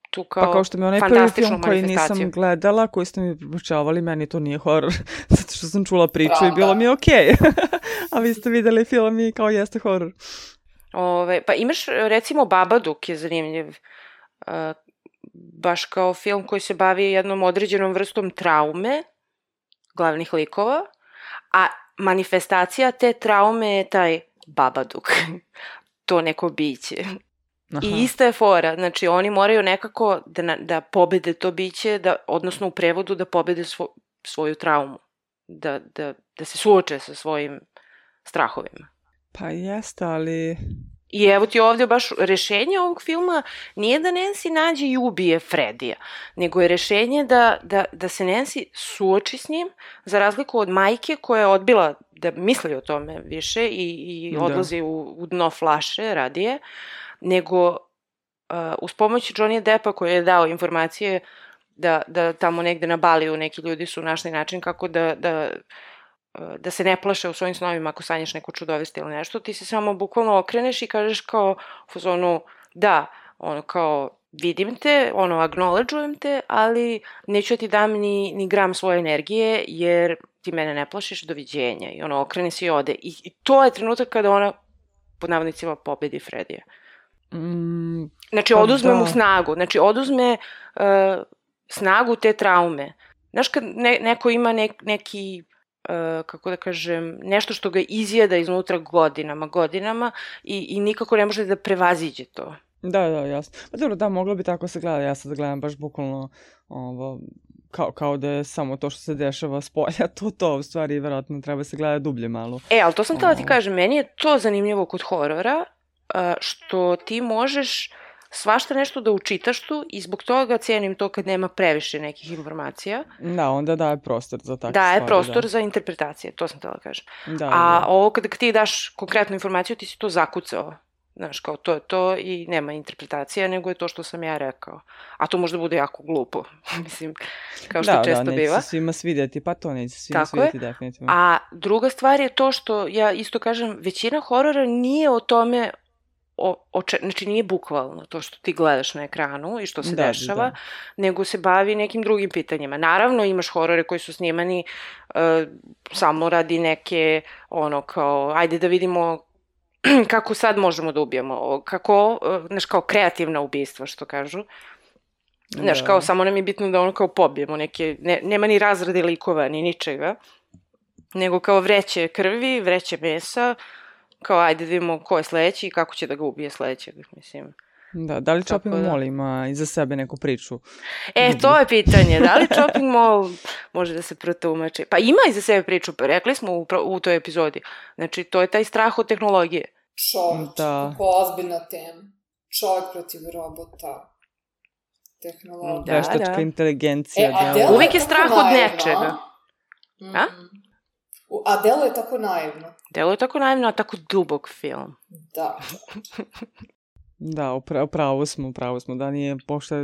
tu kao, Pa kao što mi je onaj prvi fantastičnu film koji manifestaciju. nisam gledala, koji ste mi preporučavali, meni to nije horor, zato što sam čula priču i Pravda. bilo mi je okej. A vi ste videli film i kao jeste horor. Ove, pa imaš, recimo, Babadook je zanimljiv. Uh, baš kao film koji se bavi jednom određenom vrstom traume glavnih likova, a manifestacija te traume je taj Babadook. To neko biće. Aha. I ista je fora, znači oni moraju nekako da, na- da pobede to biće, da, odnosno u prevodu da pobede svo, svoju traumu, da, da, da se suoče sa svojim strahovima. Pa jeste, ali... I evo ti ovdje baš rešenje ovog filma nije da Nancy nađe i ubije Fredija, nego je rešenje da, da, da se Nancy suoči s njim, za razliku od majke koja je odbila da misli o tome više i, i odlazi u, u dno flaše radije, nego uh, uz pomoć Johnny Deppa koji je dao informacije da, da tamo negde na Baliju neki ljudi su našli način kako da, da, da se ne plaše u svojim snovima ako sanjaš neko čudoviste ili nešto, ti se samo bukvalno okreneš i kažeš kao u fazonu da, ono kao vidim te, ono acknowledgeujem te, ali neću ti dam ni, ni gram svoje energije jer ti mene ne plašiš, doviđenja. I ono okrene se i ode. I, i to je trenutak kada ona pod navodnicima pobedi Fredija. Mm, znači oduzme mu snagu, znači oduzme uh, snagu te traume. Znaš kad ne, neko ima nek, neki, uh, kako da kažem, nešto što ga izjeda iznutra godinama, godinama i, i nikako ne može da prevaziđe to. Da, da, jasno. Pa dobro, da, moglo bi tako se gleda. Ja sad gledam baš bukvalno ovo, kao, kao da je samo to što se dešava s polja, to to, u stvari, vjerojatno treba se gleda dublje malo. E, ali to sam htjela ti kažem, meni je to zanimljivo kod horora, što ti možeš svašta nešto da učitaš tu i zbog toga cijenim to kad nema previše nekih informacija. Da, onda daje prostor za takve daje stvari. Daje prostor da. za interpretacije, to sam htjela kažem. Da, A da. ovo kada ti daš konkretnu informaciju, ti si to zakucao. Znaš, kao to je to i nema interpretacija, nego je to što sam ja rekao. A to možda bude jako glupo, mislim, kao što da, često da, biva. Da, neće se svima svidjeti, pa to neće se svima Tako svidjeti, je. definitivno. A druga stvar je to što, ja isto kažem, većina horora nije o tome, o, o če, znači nije bukvalno to što ti gledaš na ekranu i što se da, dešava, da. nego se bavi nekim drugim pitanjima. Naravno, imaš horore koji su snimani uh, samo radi neke, ono, kao, ajde da vidimo kako sad možemo da ubijemo, kako, znaš, kao kreativna ubistva, što kažu. Znaš, da. kao samo nam je bitno da ono kao pobijemo neke, ne, nema ni razrade likova, ni ničega, nego kao vreće krvi, vreće mesa, kao ajde da vidimo ko je sledeći i kako će da ga ubije sledećeg, mislim. Da, da li Chopping da. Mall ima iza sebe neku priču? E, Dubi. To je pitanje, da li Chopping Mall može da se protumači? Pa ima iza sebe priču, pa rekli smo u, u toj epizodi. Znači, to je taj strah od tehnologije. Čovječ, da. kako ozbiljna tema. Čovjek protiv robota. Tehnologija. Da, Veštačka da. inteligencija. E, a delo uvijek je strah naivno, od nečega. Mm. A? A delo je tako naivno. Delo je tako naivno, a tako dubok film. Da. Da, upravo smo, upravo smo, da nije pošto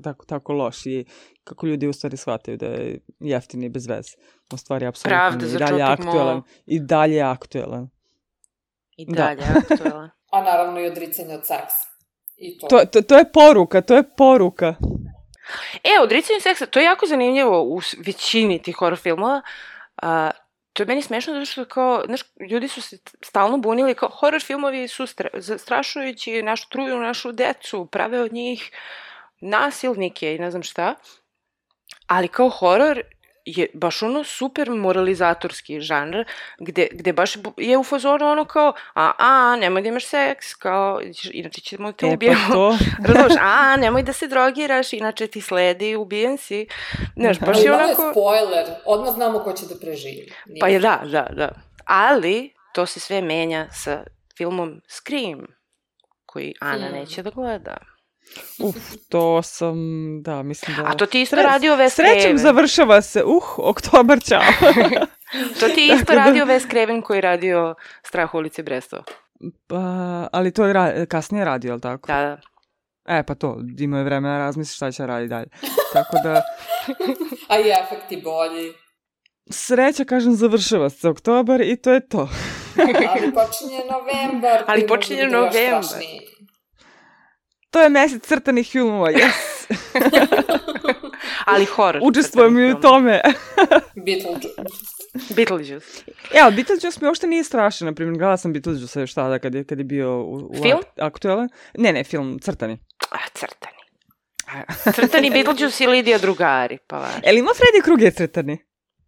tako, tako loš i kako ljudi u stvari shvataju da je jeftini i bez veze. U stvari, apsolutno i dalje aktuelan. I dalje aktuelan. I dalje aktuelan. A naravno i odricanje od seksa. I to. To, to, to je poruka, to je poruka. E, odricanje seksa, to je jako zanimljivo u većini tih horror filmova. Uh, To je meni smešno zato što kao, znaš, ljudi su se stalno bunili kao horror filmovi su stra, zastrašujući, našu truju, našu decu, prave od njih nasilnike i ne znam šta. Ali kao horror je baš ono super moralizatorski žanr, gde, gde baš je u fazonu ono kao, a, a, nemoj da imaš seks, kao, inače ćemo te e, ubijemo. Pa to. Razumiješ, a, nemoj da se drogiraš, inače ti sledi, ubijen si. Znaš, baš je onako... Ali spoiler, odmah znamo ko će da preživi. Nije. Pa je, da, da, da. Ali, to se sve menja sa filmom Scream, koji Ana hmm. neće da gleda. Uf, to sam, da, mislim da... A to ti isto radio Wes Craven. Srećem završava se, uh, oktobar, čao. To ti isto radio Wes Craven koji radio Strah u ulici Brestova. Pa, ali to je ra- kasnije radio, ali tako? Da, da. E, pa to, imao je vremena razmisli šta će raditi dalje. Tako da... A i efekti bolji. Sreća, kažem, završava se oktobar i to je to. Ali počinje novembar. Ali počinje novembar. To je mesec crtanih filmova, yes. Ali horor. Učestvujem i u tome. Beetlejuice. Beetlejuice. E, ali Beetlejuice mi uopšte nije strašan. Naprimjer, gledala sam Beetlejuice još tada kad je, kad je bio u, u film? Ak- aktualan. Ne, ne, film, crtani. A, crtani. Crtani Beetlejuice i Lidija Drugari, pa vaš. E, li ima Freddy Krueger crtani?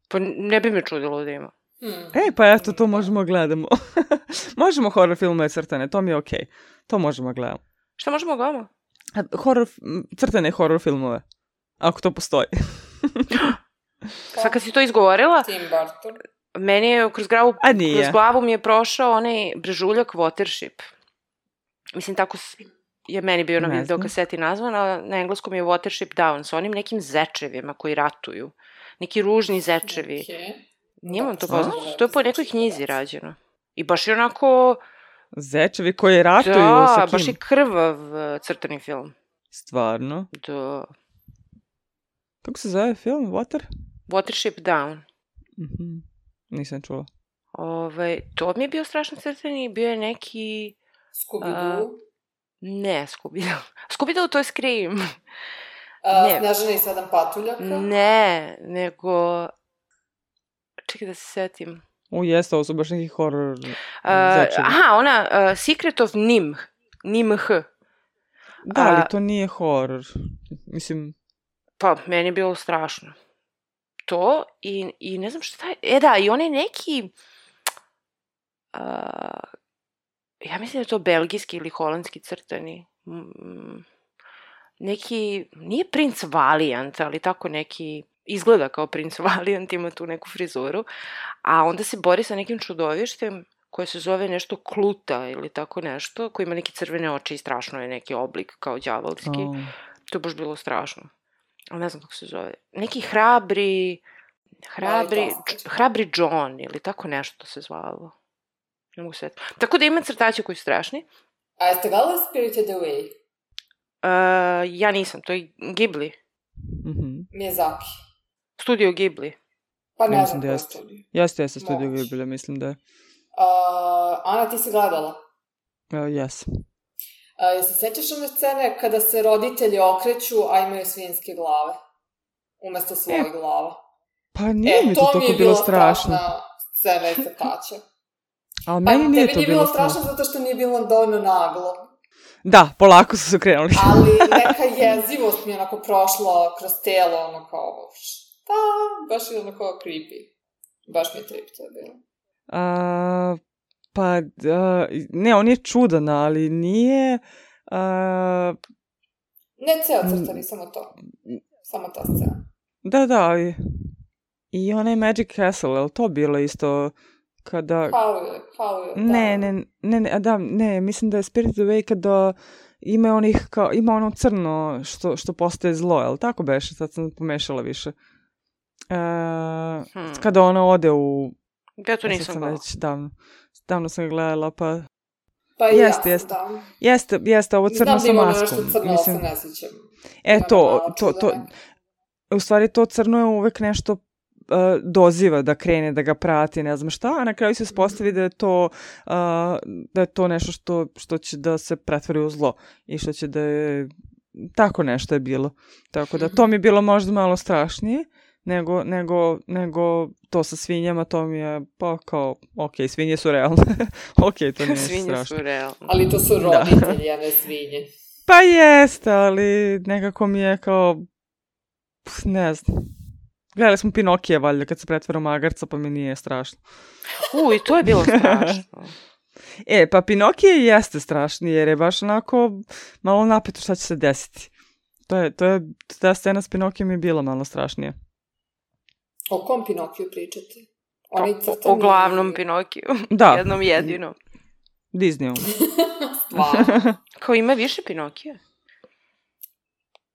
Pa ne bi me čudilo da ima. Hmm. E, pa eto, to možemo gledamo. Možemo horror filmove crtane, to mi je okej. Okay. To možemo gledamo. Šta možemo gledamo? Horror, crtane horror filmove. Ako to postoji. Sad kad si to izgovorila, Tim Burton. Meni je kroz glavu, kroz glavu mi je prošao onaj brežuljak Watership. Mislim, tako je meni bio na Ne video znam. kaseti nazvan, a na engleskom je Watership Down, sa onim nekim zečevima koji ratuju. Neki ružni zečevi. Okay. Nije vam to Da, poznato? da, To je po nekoj zečevi, knjizi da. rađeno. I baš je onako... Zečevi koji ratuju Da, sa kim? baš je krvav uh, crtani film. Stvarno? Da. Kako se zove film? Water? Watership Down. Mhm. Nisam čula. Ove, to mi je bio strašno crtani, bio je neki... Scooby-Doo. Ne, Scooby-Doo. Scooby-Doo to je Scream. A, ne. Snežana i sedam patuljaka. Ne, nego... Čekaj da se setim. U, jeste, ovo su baš neki horror Uh, zečevi. aha, ona, uh, Secret of Nim. Nim H. Da, ali a- to nije horror. Mislim, Pa, meni je bilo strašno. To i, i ne znam šta je... E da, i onaj neki... Uh, ja mislim da je to belgijski ili holandski crtani. Mm, neki... Nije princ Valiant, ali tako neki... Izgleda kao princ Valiant, ima tu neku frizuru. A onda se bori sa nekim čudovištem koje se zove nešto Kluta ili tako nešto, koji ima neke crvene oči i strašno je neki oblik kao đavolski. oh. To je baš bilo strašno. Ali ne znam kako se zove. Neki hrabri... Hrabri... Mali Toskić. Hrabri John ili tako nešto se zvalo. Ne mogu setiti. Tako da ima crtače koji su strašni. A jeste gledali Spirited Away? Uh, ja nisam, to je Ghibli. Mhm. Miyazaki. Studio Ghibli. Pa ne Ja znam mislim da ko je jeste. studio. Jeste, jeste studio Moguće. Ghibli, mislim da je. Uh, Ana, ti si gledala? Uh, yes. Uh, jel se sećaš one scene kada se roditelji okreću, a imaju svinjske glave? Umesto svojih E, glava. Pa nije E, mi to to mi toliko je bilo bila strašno. strašna scena iz crtača. Ali Pa meni nije tebi to nije bilo bilo strašno. strašno zato što nije bilo dovoljno naglo. Da, polako su se krenuli. Ali neka jezivost mi je onako prošla kroz telo, ono kao, šta? Baš je onako creepy. Baš mi je trip to je bilo. A, pa, da, ne, on je čudan, ali nije... A, Ne ceo crtani, samo to. Samo ta scena. da, da, ali... I onaj Magic Castle, je li to bilo isto kada... How je, how je, Ne, ne, ne, ne, a da, ne, mislim da je Spirited Away kada ima onih, kao, ima ono crno što, što postaje zlo, je li tako beše? Sad sam pomešala više. E, Hmm. Kada ona ode u... Ja to sad nisam sam gledala. već davno, davno sam ga gledala, pa... Pa i Jeste, ja jeste. sam da. Jeste, jeste, ovo crno Znam sa da ima maskom. nešto crno, Mislim, ali se ne sjećam. e, Ima to, malo to, to, čudno. u stvari to crno je uvek nešto uh, doziva da krene, da ga prati, ne znam šta, a na kraju se ispostavi da je to, uh, da je to nešto što, što će da se pretvori u zlo i što će da je, tako nešto je bilo. Tako da to mi je bilo možda malo strašnije nego, nego, nego to sa svinjama, to mi je pa kao, ok, svinje su realne, ok, to nije Svinje strašno. su realne. Ali to su roditelji, a ne svinje. Pa jeste, ali nekako mi je kao, pf, ne znam. Gledali smo Pinokije, valjda, kad se pretvara u magarca, pa mi nije strašno. U, i to je bilo strašno. E, pa Pinokije jeste strašni, jer je baš onako malo napeto šta će se desiti. To je, to je, ta scena s Pinokijem je bila malo strašnija. O kom Pinokiju pričate? O, Oni o, crtani... o glavnom Pinokiju. Da. Jednom jedinom. Disneyu. Stvarno. Kao ima više Pinokija?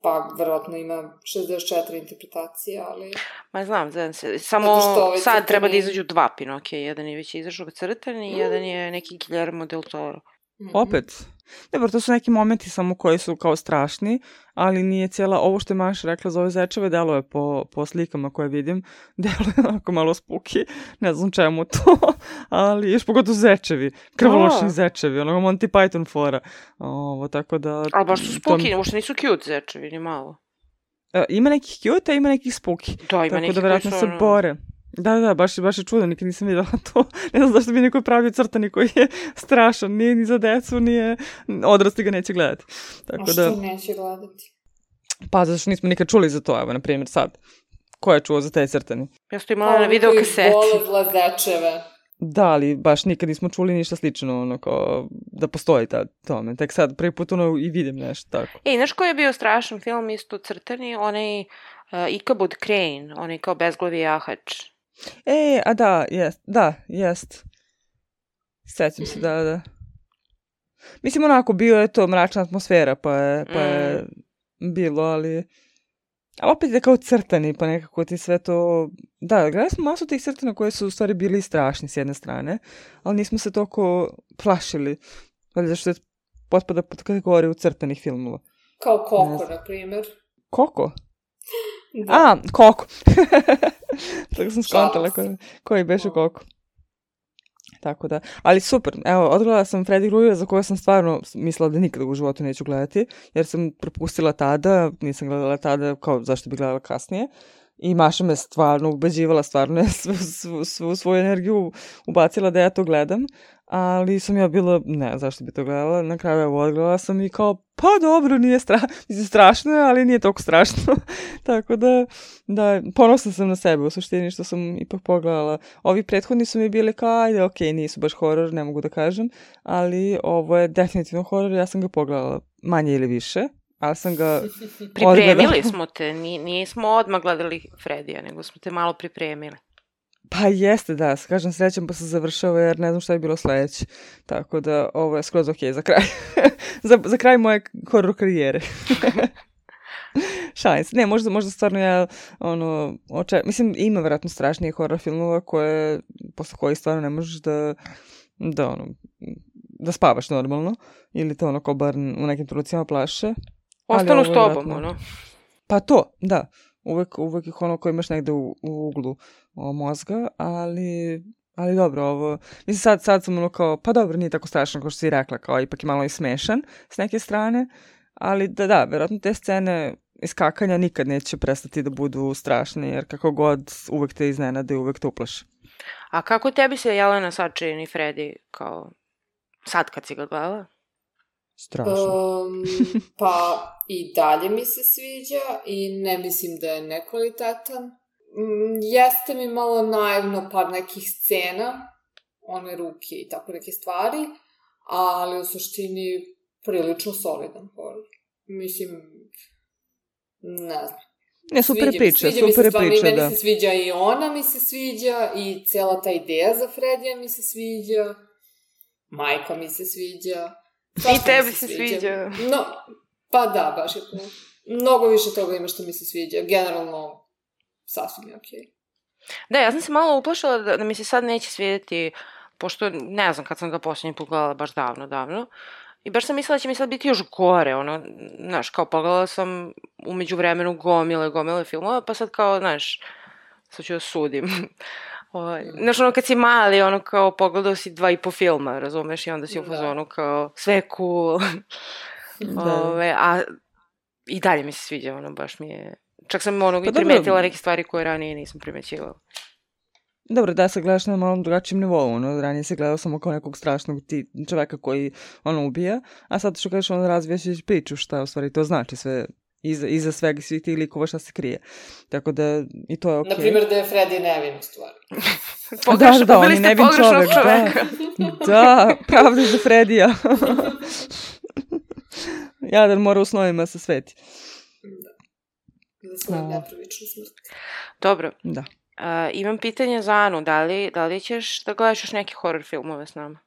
Pa, verovatno ima šezdeset četiri interpretacije, ali... Ma znam, znam se. Samo Zato što ovaj sad crtani- treba da izađu dva Pinokija. Jedan je već izašao crtani i jedan je neki Guillermo del Toro. Mhm. Opet. Dobro, to su neki momenti samo koji su kao strašni, ali nije cijela, ovo što je Maša rekla za ove zečeve, deluje po, po slikama koje vidim, deluje onako malo spuki, ne znam čemu to, ali još pogotovo zečevi, krvoločni A. zečevi, ono Monty Python fora, ovo, tako da... Ali baš su to mi- spuki, uopšte nisu cute zečevi, ni malo. E, ima nekih cute, a ima nekih spuki. Da, ima Tako neki da koji vjerojatno su se ono- bore. Da, da, baš, baš je čudo, nikad nisam vidjela to. Ne znam zašto bi neko pravio crtani koji je strašan. Nije ni za decu, nije... Odrasli ga neće gledati. A Tako što da, neće gledati? pa zato što nismo nikad čuli za to, evo, na primjer, sad. Ko je čuo za taj crtani? Ja sam to imala na video kaseti. Vole zlazečeve. Da, ali baš nikad nismo čuli ništa slično, ono, kao da postoji ta tome. Tek sad, prvi put, ono, i vidim nešto tako. Ej, znaš koji je bio strašan film isto crtani? Onaj uh, Ichabod Crane, onaj kao bezglavi jahač. E, a da, jest, da, jest. Sećam se, da, da. Mislim, onako, bio je to mračna atmosfera, pa je, pa je mm. bilo, ali... A opet je kao crtani, pa nekako ti sve to... Da, gledali smo masu tih crtana koje su u stvari bili strašni s jedne strane, ali nismo se toliko plašili. Ali zašto je potpada pod kategoriju crtanih filmova. Kao Koko, na primjer. Koko? Da. A, Koko. Tako sam skontala koji, koji beše Koko. Tako da, ali super, evo, odgledala sam Freddy Kruegera za koje sam stvarno mislila da nikada u životu neću gledati, jer sam propustila tada, nisam gledala tada, kao zašto bi gledala kasnije, i Maša me stvarno ubeđivala, stvarno je svu, svu, svu svoju energiju ubacila da ja to gledam, ali sam ja bila, ne, zašto bi to gledala, na kraju evo odgledala sam i kao, pa dobro, nije stra... strašno, ali nije toliko strašno, tako da, da, ponosna sam na sebe u suštini što sam ipak pogledala. Ovi prethodni su mi bili kao, ajde, okej, okay, nisu baš horor, ne mogu da kažem, ali ovo je definitivno horor, ja sam ga pogledala manje ili više, ali sam ga pripremili odgledala. smo te, nismo odmah gledali Fredija, nego smo te malo pripremili. Pa jeste, da, kažem srećem pa se završava jer ne znam šta je bilo sledeće. Tako da ovo je skroz okej za kraj. za, za kraj moje horor karijere. Šalim se. Ne, možda, možda stvarno ja, ono, oče... mislim, ima vjerojatno strašnije horor filmova koje, posle kojih stvarno ne možeš da, da, ono, da spavaš normalno. Ili to ono ko bar u nekim trenucima plaše. Ostanu s tobom, ono. Pa to, da. Uvek, uvek ih ono koji imaš negde u, u uglu o, mozga, ali, ali dobro, ovo, mislim sad, sad sam ono kao, pa dobro, nije tako strašno kao što si rekla, kao ipak je malo i smešan s neke strane, ali da, da, verovatno te scene iskakanja nikad neće prestati da budu strašne, jer kako god uvek te iznenade, uvek te uplaše. A kako tebi se Jelena sad čini Freddy, kao sad kad si ga gledala? Strašno. Um, pa i dalje mi se sviđa i ne mislim da je nekvalitetan. Mm, jeste mi malo naivno par nekih scena, one ruke i tako neke stvari, ali u suštini prilično solidan horor. Mislim, ne znam. Ne, super sviđa, priča, sviđa super stvarno, priča, meni da. se sviđa i ona mi se sviđa i cela ta ideja za Fredija mi se sviđa, majka mi se sviđa. I tebi se sviđa. No, pa da, baš je to. Mnogo više toga ima što mi se sviđa. Generalno, sasvim je okej. Da, ja sam se malo uplašila da, da mi se sad neće svidjeti, pošto ne znam kad sam ga posljednji pogledala baš davno, davno. I baš sam mislila da će mi sad biti još gore, ono, znaš, kao pogledala sam umeđu vremenu gomile, gomile filmova, pa sad kao, znaš, sad ću da sudim. Ovaj, znaš, ono, kad si mali, ono, kao, pogledao si dva i po filma, razumeš, i onda si u fazonu, kao, sve je cool. Ove, a i dalje mi se sviđa, ono, baš mi je... Čak sam, ono, pa i primetila neke stvari koje ranije nisam primećivala. Dobro, da se gledaš na malom drugačijem nivou, ono, ranije se gledao samo kao nekog strašnog ti, čoveka koji, ono, ubija, a sad što kažeš, ono, razvijaš priču šta, u stvari, to znači sve... Iza, iza svega svih tih likova šta se krije. Tako da i to je okej. Okay. Naprimjer da je Freddy nevin u stvari. Pogreš, da, da, on je nevin čovek. čoveka. Da, da, pravda za Fredija. Jadan mora u snovima se sveti. Da. Za svoju no. nepravičnu smrt. Dobro. Da. Uh, imam pitanje za Anu. Da li, da li ćeš da gledaš još neke horror filmove s nama?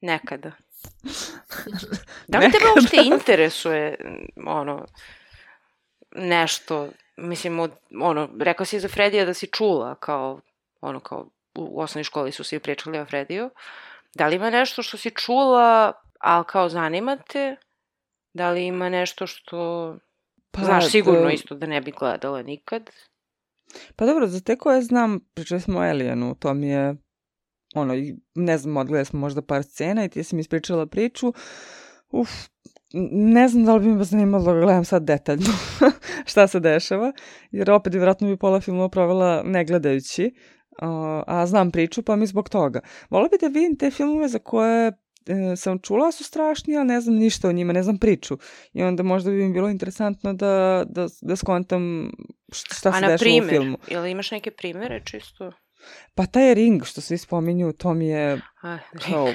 Nekada. Da li tebe uopšte interesuje ono nešto, mislim, od, ono, rekla si za Fredija da si čula kao, ono, kao u osnovnoj školi su svi pričali o Frediju. Da li ima nešto što si čula, ali kao zanima te? Da li ima nešto što pa, znaš sigurno da... isto da ne bi gledala nikad? Pa dobro, za te koje znam, pričali smo o Alienu, to mi je ono, ne znam, odgledali smo možda par scena i ti si mi ispričala priču. Uf, ne znam da li bi me zanimalo da gledam sad detaljno šta se dešava, jer opet vjerojatno bi pola filmova provela ne gledajući, uh, a znam priču, pa mi zbog toga. Volila bi da vidim te filmove za koje e, sam čula su strašni, ali ne znam ništa o njima, ne znam priču. I onda možda bi mi bilo interesantno da, da, da skontam šta se dešava u filmu. A na primjer, ili imaš neke primjere čisto? Pa taj Ring što svi spominju, to mi je kao,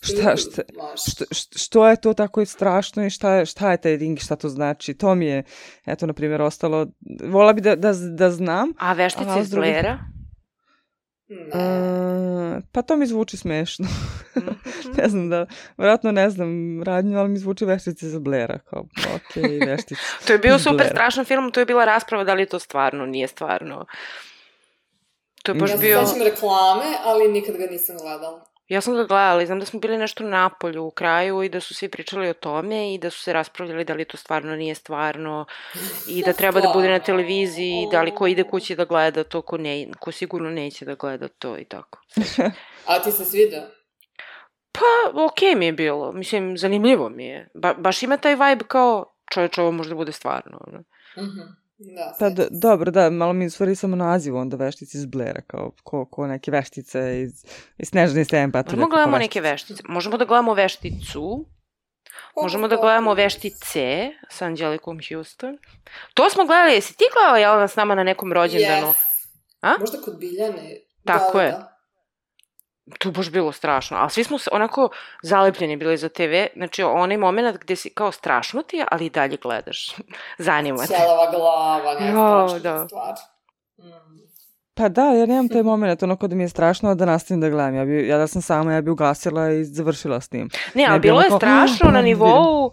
šta, šta, što, što je to tako strašno i šta, šta je taj Ring, šta to znači, to mi je, eto, na primjer, ostalo, vola bi da, da, da znam. A Veštice iz Blera? Ne. Uh, pa to mi zvuči smešno. Ne znam da, vjerojatno ne znam radnju, ali mi zvuči Veštice za Blaira. Kao, ok, Veštice. To je bio iz super Blaira. strašan film, to je bila rasprava da li je to stvarno, nije stvarno. To je baš Ja se bio... sećam reklame, ali nikad ga nisam gledala. Ja sam ga gledala i znam da smo bili nešto u Napolju u kraju i da su svi pričali o tome i da su se raspravljali da li to stvarno nije stvarno i da treba da bude na televiziji, da li ko ide kući da gleda to, ko, ne, ko sigurno neće da gleda to i tako. A ti se sviđa? Pa, okej okay mi je bilo. Mislim, zanimljivo mi je. Ba, baš ima taj vibe kao čovječ, ovo možda bude stvarno. Ne? Mhm. Da, Pa do, dobro, da, malo mi stvari samo naziv onda Veštice iz Blaira, kao ko, ko neke veštice iz, iz Snežne Stem, pa Možemo gledamo neke veštice. Možemo da gledamo Vešticu. Možemo da gledamo Veštice sa Angelikom Houston. To smo gledali, jesi ti gledala Jelena s nama na nekom rođendanu? Yes. A? Možda kod Biljane. Tako da, je. Da. To je baš bilo strašno, ali svi smo se onako zalepljeni bili za te ve, znači onaj moment gde si kao strašno ti je, ali i dalje gledaš. Zanima te. Ćelava glava, ne Jo, strašna da. stvar. Mm. Pa da, ja nemam taj moment, ono kod mi je strašno da nastavim da gledam. Ja, bi, ja da sam sama, ja bi ugasila i završila s tim. Ne, ali Ne bi bilo ono je kao, strašno "Ah, na vidim." nivou,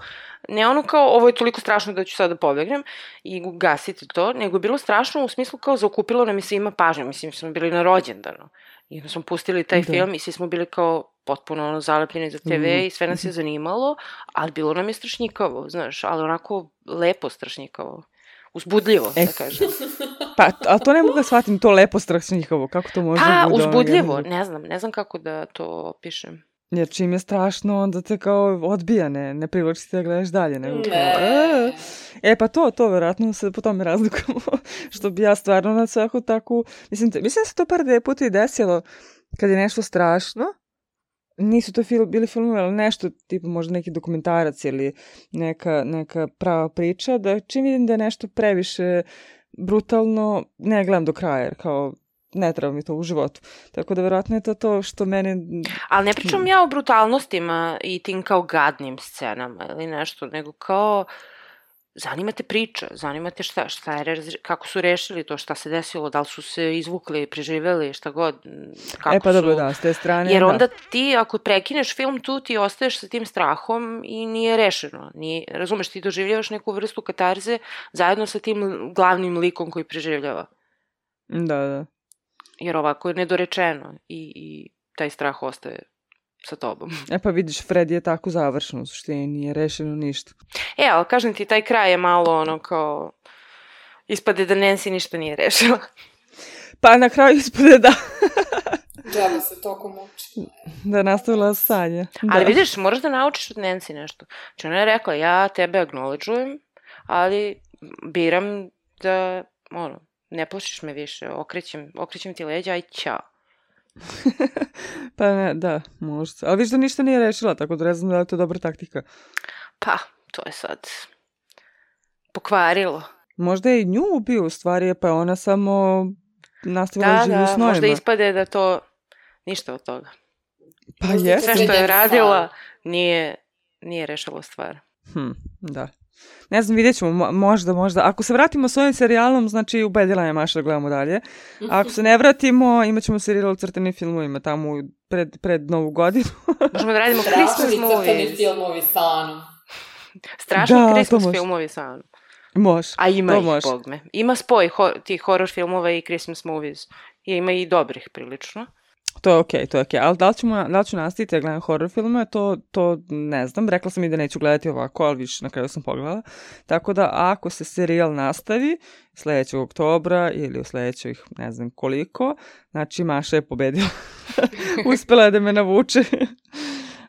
ne ono kao ovo je toliko strašno da ću sad da pobegnem i gasiti to, nego je bilo strašno u smislu kao zaokupilo nam je svima pažnju, mislim smo bili na rođendanu. I onda smo pustili taj Da. film i svi smo bili kao potpuno ono zalepljeni za te ve i sve nas je zanimalo, ali bilo nam je strašnjikavo, znaš, ali onako lepo strašnjikavo. Uzbudljivo, E, da kažem. Pa, ali to ne mogu da shvatim, to lepo strašnjihovo, kako to može Pa, bude ono uzbudljivo, jedno- ne znam, ne znam kako da to opišem. Jer čim je strašno, onda te kao odbija, ne, ne privlači te da gledaš dalje. Nego kao, Ne. "E." E pa to, to vjerojatno se po tome razlikujemo. Što bi ja stvarno na svaku takvu... Mislim, te, mislim da se to par dve puta i desilo kad je nešto strašno. Nisu to fil, bili filmovi, ali nešto, tipa možda neki dokumentarac ili neka, neka prava priča, da čim vidim da je nešto previše brutalno, ne gledam do kraja, jer kao ne treba mi to u životu. Tako da vjerojatno je to to što mene... Ali ne pričam ja o brutalnostima i tim kao gadnim scenama ili nešto, nego kao zanima te priča, zanima te šta, šta je, rez- kako su rešili to, šta se desilo, da li su se izvukli, preživeli, šta god, kako e pa dobro, su... da, s te strane, Jer da. onda ti, ako prekineš film tu, ti ostaješ sa tim strahom i nije rešeno. Nije, razumeš, ti doživljavaš neku vrstu katarze zajedno sa tim glavnim likom koji preživljava. Da, da. Jer ovako je nedorečeno i, i taj strah ostaje sa tobom. E pa vidiš, Fred je tako završen, u suštini nije rešeno ništa. E, ali kažem ti, taj kraj je malo ono kao... Ispade da Nancy ništa nije rešila. Pa na kraju ispade da, Džaba se toko muči. da je nastavila sanje. Da. Ali vidiš, moraš da naučiš od Nancy nešto. Znači ona je rekla, ja tebe acknowledge-ujem, ali biram da, ono, ne plašiš me više, okrećem, okrećem ti leđa, aj ćao. Pa ne, da, možda. Ali viš da ništa nije rešila, tako da ne znam da je to dobra taktika. Pa, to je sad pokvarilo. Možda je i nju ubio u stvari, pa je ona samo nastavila Da, živu u da, snovima. možda ispade da to ništa od toga. Pa Možda jeste. Sve što je Srednji radila nije, nije rešilo stvar. Hm, da. Ne znam, vidjet ćemo, mo- možda, možda. Ako se vratimo s ovim serijalom, znači ubedila je Maša da gledamo dalje. A ako se ne vratimo, imat ćemo serijal o crtenim filmovima tamo u- pred, pred novu godinu. Možemo da radimo Christmas Strašni crtani movies. filmovi sa Anom. Strašni Da, to Christmas može. filmovi sa Anom. Može. A ima to ih, može. bog me. Ima spoj ho- tih horror filmova i Christmas movies. I ima i dobrih prilično. To je okej, to je okej. Ali da li, ćemo, da li ću nastaviti da gledam horror filmove, to, to ne znam. Rekla sam i da neću gledati ovako, ali više na kraju sam pogledala. Tako da ako se serijal nastavi sljedećeg oktobra ili u sljedećih ne znam koliko, znači Maša je pobedila. Uspela je da me navuče.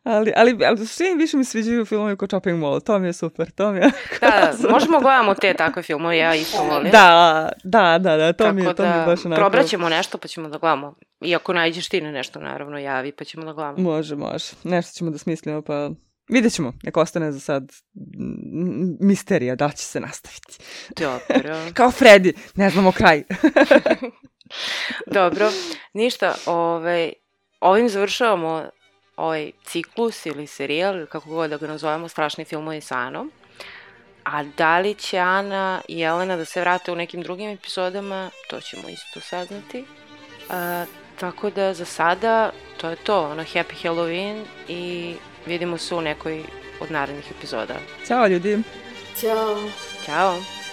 ali, ali, ali svi više mi sviđaju filmovi ko Chopping Mall. To mi je super. To mi je... Da, da, možemo gledamo te takve filmove, ja isto volim. da, da, da, da, to mi je, Tako to mi je da baš onako... probraćemo nešto pa ćemo da gledamo. I ako nađeš ti na nešto, naravno, javi pa ćemo da gledamo. Može, može. Nešto ćemo da smislimo, pa vidjet ćemo. Nek ostane za sad mm, misterija, da li će se nastaviti. Dobro. Kao Freddy, ne znamo kraj. Dobro. Ništa, ovaj, ovim završavamo ovaj ciklus ili serijal, ili kako god da ga nazovemo, strašni filmovi sa Anom. A da li će Ana i Jelena da se vrate u nekim drugim epizodama, to ćemo isto saznati. A, Tako da za sada to je to, ono, Happy Halloween i vidimo se u nekoj od narednih epizoda. Ćao ljudi! Ćao! Ćao!